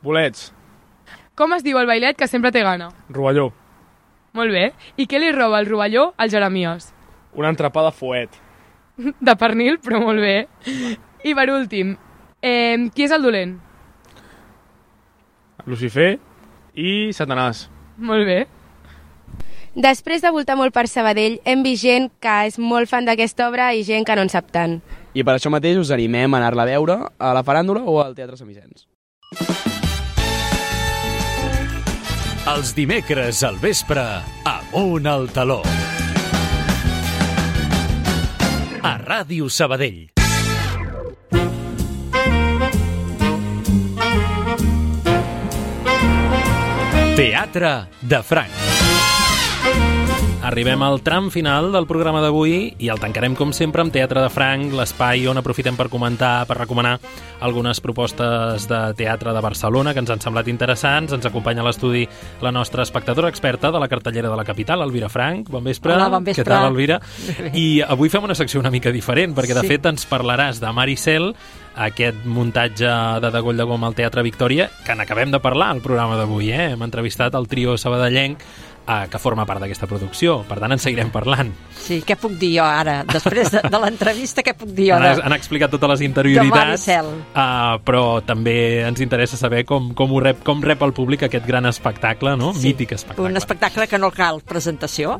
Bolets. Com es diu el bailet que sempre té gana? Rovelló. Molt bé. I què li roba el rovelló al Jeremies? Una entrepà de fuet. De pernil, però molt bé. I per últim, eh, qui és el dolent? Lucifer i Satanàs. Molt bé. Després de voltar molt per Sabadell, hem vist gent que és molt fan d'aquesta obra i gent que no en sap tant. I per això mateix us animem a anar-la a veure a la Faràndula o al Teatre Sant Vicenç. Els dimecres al vespre, Amunt al Taló. A Ràdio Sabadell. Teatre de Franc. Arribem al tram final del programa d'avui i el tancarem, com sempre, amb Teatre de Franc, l'espai on aprofitem per comentar, per recomanar algunes propostes de teatre de Barcelona que ens han semblat interessants. Ens acompanya a l'estudi la nostra espectadora experta de la cartellera de la capital, Elvira Franc. Bon vespre. Hola, bon vespre. Què tal, Elvira? I avui fem una secció una mica diferent, perquè de Sí. fet ens parlaràs de Maricel, aquest muntatge de Degoll de Gom al Teatre Victòria, que n'acabem de parlar al programa d'avui. Eh? Hem entrevistat el trio sabadellenc eh, que forma part d'aquesta producció. Per tant, en seguirem parlant. Sí, què puc dir jo ara? Després de, de l'entrevista, què puc dir jo? Han, De... han explicat totes les interioritats, de Maricel. uh, però també ens interessa saber com, com, ho rep, com rep el públic aquest gran espectacle, no? Sí, Mític espectacle. Un espectacle que no cal presentació.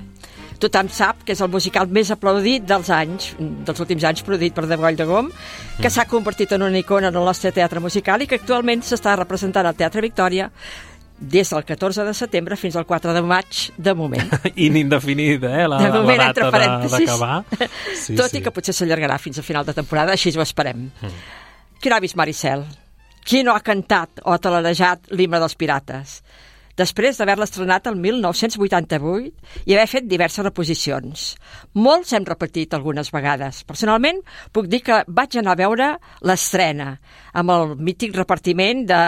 Tothom sap que és el musical més aplaudit dels anys, dels últims anys, produït per Degoll de Gom, que Mm. s'ha convertit en una icona en el nostre teatre musical i que actualment s'està representant al Teatre Victòria des del catorze de setembre fins al quatre de maig, de moment. Inindefinida, eh? La, de moment, la entre data parèntesis. de- d'acabar. Sí, Tot sí. i que potser s'allargarà fins a final de temporada, així ho esperem. Mm. Qui no ha vist Maricel? Qui no ha cantat o talarejat l'himne dels pirates? Després d'haver-la estrenat el mil nou-cents vuitanta-vuit i haver fet diverses reposicions. Molts hem repetit algunes vegades. Personalment, puc dir que vaig anar a veure l'estrena, amb el mític repartiment de,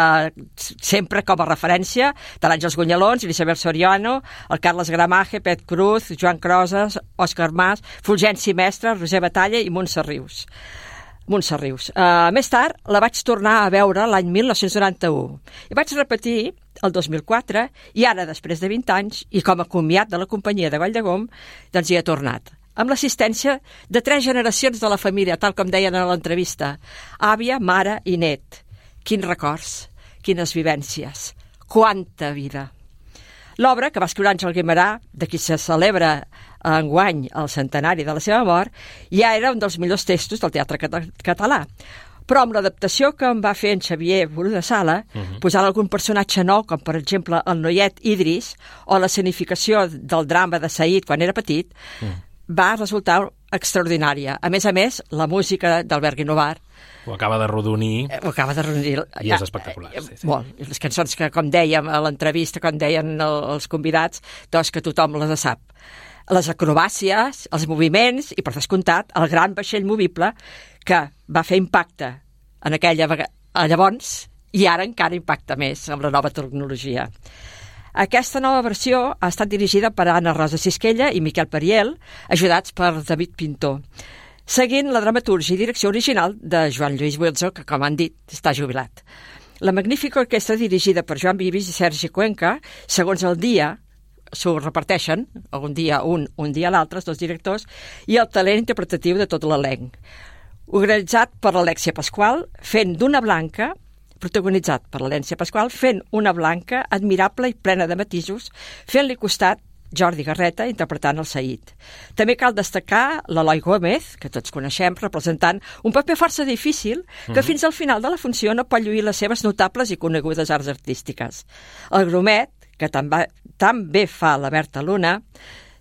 sempre com a referència, de l'Àngels Gunyalons, l'Isabel Soriano, el Carles Gramaje, Pet Cruz, Joan Crosas, Òscar Mas, Fulgenci Mestre, Roser Batalla i Montse Rius. Montse Rius. Uh, més tard la vaig tornar a veure l'any mil nou-cents noranta-u i vaig repetir el dos mil quatre i ara, després de vint anys, i com a comiat de la companyia de Vall de Gom, doncs hi he tornat. Amb l'assistència de tres generacions de la família, tal com deien a l'entrevista. Àvia, mare i net. Quins records, quines vivències, quanta vida. L'obra, que va escriure Àngel Guimerà, de qui se celebra enguany el centenari de la seva mort, ja era un dels millors textos del teatre català. Però amb l'adaptació que em va fer en Xavier Bru de Sala, Mhm. posant algun personatge nou, com per exemple el noiet Idris, o la escenificació del drama de Said quan era petit, va resultar extraordinària. A més a més, la música d'Albert Guinovar Ho acaba de rodonir. ho acaba de reunir. I és espectacular. Sí, sí. Molt. I les cançons que, com dèiem a l'entrevista, com deien el, els convidats, doncs que tothom les sap. Les acrobàcies, els moviments i, per descomptat, el gran vaixell movible que va fer impacte en aquella vegada, llavors, i ara encara impacta més amb la nova tecnologia. Aquesta nova versió ha estat dirigida per Anna Rosa Sisquella i Miquel Periel, ajudats per David Pintor, seguint la dramatúrgia i direcció original de Joan Lluís Buelzo, que, com han dit, està jubilat. La magnífica orquestra dirigida per Joan Vivis i Sergi Cuenca, segons el dia, s'ho reparteixen, un dia un, un dia l'altre, els dos directors, i el talent interpretatiu de tot l'elenc. Organitzat per l'Alexia Pasqual, fent d'una blanca, protagonitzat per l'Alexia Pasqual, fent una blanca admirable i plena de matisos, fent-li costat Jordi Garreta interpretant el Said. També cal destacar l'Eloi Gómez, que tots coneixem, representant un paper força difícil que Mhm. fins al final de la funció no pot lluir les seves notables i conegudes arts artístiques. El Gromet, que també, també fa la Berta Luna,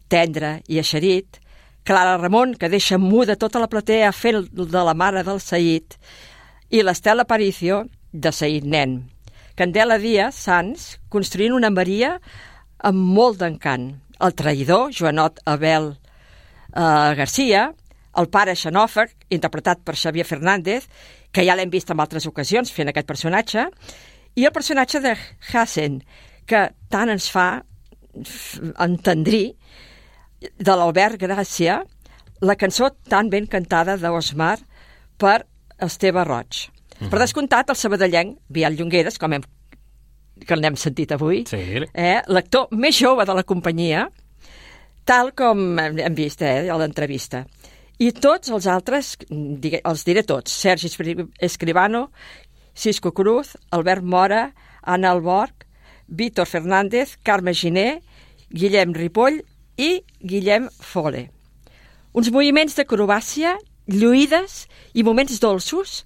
tendre i eixerit, Clara Ramon, que deixa muda tota la platea fent de la mare del Said, i l'Estela Aparicio, de Said nen. Candela Díaz Sans, construint una Maria amb molt d'encant. El traïdor, Joanot Abel eh, Garcia, el pare xenòfag, interpretat per Xavier Fernández, que ja l'hem vist en altres ocasions fent aquest personatge, i el personatge de Hassen, que tant ens fa entendrir, de l'Albert Gràcia, la cançó tan ben cantada d'Osmar per Esteve Roig. Mm-hmm. Per descomptat, el sabadellenc, Biel Llongueras, com hem, que l'hem sentit avui, sí. eh, l'actor més jove de la companyia, tal com hem vist eh, a l'entrevista. I tots els altres, els diré tots, Sergi Escribano, Cisco Cruz, Albert Mora, Anna Alborg, Víctor Fernández, Carme Giner, Guillem Ripoll i Guillem Fole. Uns moviments d'acrobàcia, lluïdes i moments dolços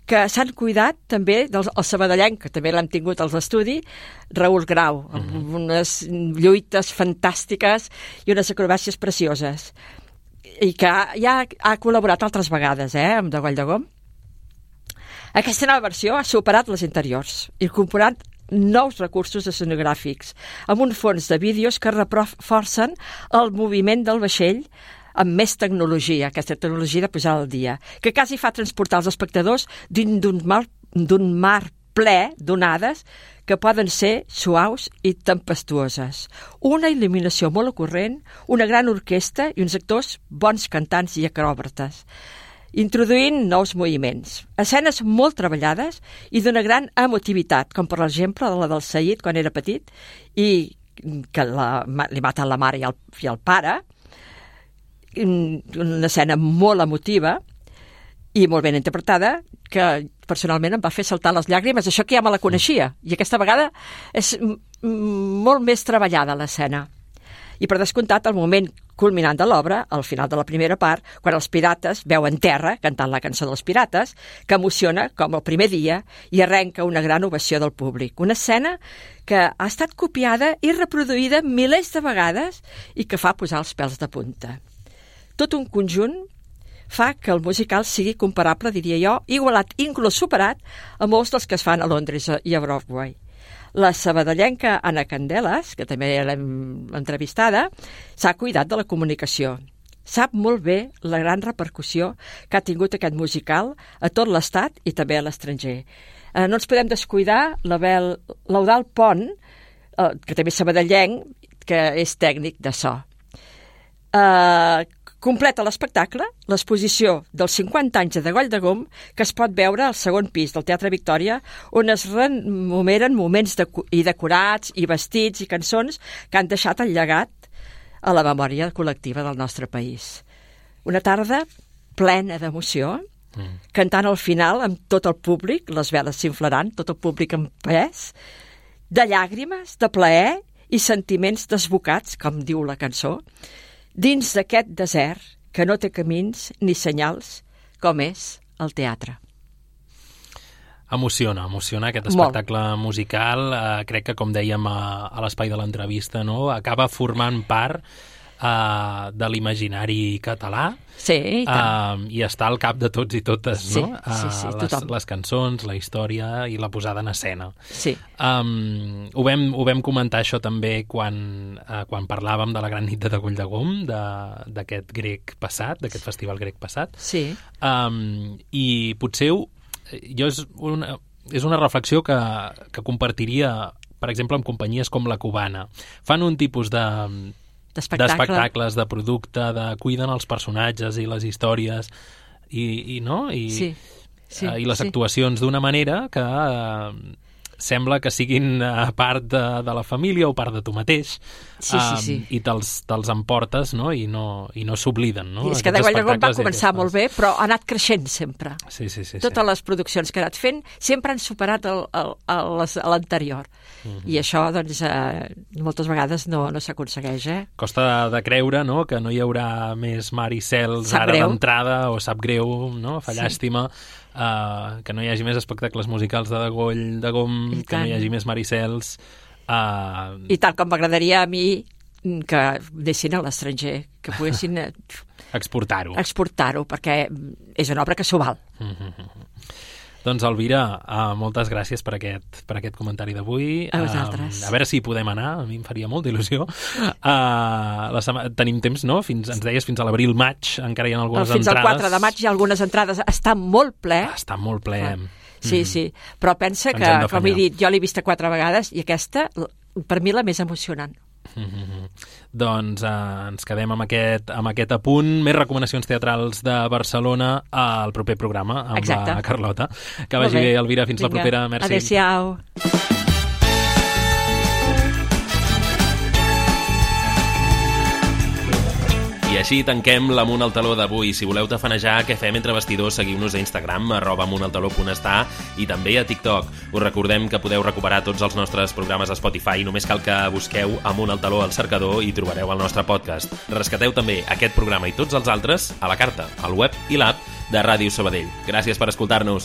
que s'han cuidat també del sabadellenc, que també l'hem tingut als estudis, Raül Grau, amb mm-hmm. unes lluites fantàstiques i unes acrobàcies precioses. I que ja ha col·laborat altres vegades, eh, amb De Goll de Gom. Aquesta nova versió ha superat les anteriors, incorporant nous recursos escenogràfics, amb un fons de vídeos que reforcen el moviment del vaixell amb més tecnologia, aquesta tecnologia de posar al dia, que quasi fa transportar els espectadors dins d'un mar, d'un mar ple d'onades que poden ser suaus i tempestuoses. Una il·luminació molt ocorrent, una gran orquestra i uns actors bons cantants i acròbates, introduint nous moviments. Escenes molt treballades i d'una gran emotivitat, com per exemple la del Saïd quan era petit i que la, li maten la mare i el, i el pare, una escena molt emotiva i molt ben interpretada, que personalment em va fer saltar les llàgrimes, això que ja me la coneixia, i aquesta vegada és molt més treballada l'escena. I per descomptat el moment culminant de l'obra, al final de la primera part, quan els pirates veuen terra cantant la cançó dels pirates, que emociona com el primer dia i arrenca una gran ovació del públic. Una escena que ha estat copiada i reproduïda milers de vegades i que fa posar els pèls de punta. Tot un conjunt fa que el musical sigui comparable, diria jo, igualat, inclús superat, a molts dels que es fan a Londres i a Broadway. La sabadellenca Anna Candelas, que també l'hem entrevistada, s'ha cuidat de la comunicació. Sap molt bé la gran repercussió que ha tingut aquest musical a tot l'estat i també a l'estranger. Eh, no ens podem descuidar l'Eudald Pont, eh, que també és sabadellenc, que és tècnic de so. Eh, completa l'espectacle l'exposició dels cinquanta anys de Goll de Gom, que es pot veure al segon pis del Teatre Victòria, on es rememeren moments de, i decorats i vestits i cançons que han deixat el llegat a la memòria col·lectiva del nostre país. Una tarda plena d'emoció, mm. cantant al final amb tot el públic, les veles s'inflaran, tot el públic en pes, de llàgrimes, de plaer i sentiments desbocats, com diu la cançó, dins d'aquest desert que no té camins ni senyals, com és el teatre. Emociona, emociona aquest espectacle Molt. musical. Eh, crec que, com dèiem a, a l'espai de l'entrevista, no? Acaba formant part eh, de l'imaginari català. Sí, i tant. Eh, I està al cap de tots i totes, sí, no? Sí, sí, les, tothom. Les cançons, la història i la posada en escena. Sí. Um, ho, vam, ho vam comentar això també quan, uh, quan parlàvem de la Gran Nit de Degoll de Gom, d'aquest grec passat, d'aquest festival grec passat. Sí. Um, I potser jo és una, és una reflexió que, que compartiria, per exemple, amb companyies com la Cubana. Fan un tipus de... d'espectacles, de producte, de cuiden els personatges i les històries i, i no? I, sí, sí, uh, i les sí. actuacions d'una manera que uh, sembla que siguin uh, part de, de la família o part de tu mateix. Sí, sí, sí. Um, i te'ls te'ls emportes, no? i no, i no s'obliden. No? I és que De Goll de Gom va començar molt bé, però ha anat creixent sempre. Sí, sí, sí, Totes sí. les produccions que ha anat fent sempre han superat l'anterior. Mm-hmm. I això, doncs, eh, moltes vegades no, no s'aconsegueix, eh? Costa de creure, no?, que no hi haurà més mar i cels sap ara greu. d'entrada, o sap greu, no?, fa llàstima, sí. uh, que no hi hagi més espectacles musicals de Degoll de Gom, que no hi hagi més mar i cels... Uh... I tal com m'agradaria a mi que deixin a l'estranger, que poguessin exportar-ho. Exportar-ho, perquè és una obra que s'ho val. Mm-hmm. Doncs, Elvira, uh, moltes gràcies per aquest, per aquest comentari d'avui. A vosaltres. Uh, a veure si podem anar, a mi em faria molta il·lusió. Uh, la sema... Tenim temps, no? Fins, ens deies fins a l'abril-maig, encara hi ha algunes fins entrades. Fins al quatre de maig hi ha algunes entrades. Està molt ple. Està molt ple. Ah. Sí, mm. sí. Però pensa que, com he dit, jo l'he vista quatre vegades i aquesta, per mi, la més emocionant. Mm-hmm. Doncs eh, ens quedem amb aquest, amb aquest apunt. Més recomanacions teatrals de Barcelona al proper programa amb Exacte. La Carlota. Que vagi bé, Elvira, fins Vinga. La propera. Merci. Adéu-siau. I així tanquem l'Amunt al Taló d'avui. Si voleu tafanejar què fem entre vestidors, seguiu-nos a Instagram, arroba amuntaltaló.està, i també a TikTok. Us recordem que podeu recuperar tots els nostres programes a Spotify. Només cal que busqueu Amunt al Taló al cercador i trobareu el nostre podcast. Rescateu també aquest programa i tots els altres a la carta, al web i l'app de Ràdio Sabadell. Gràcies per escoltar-nos.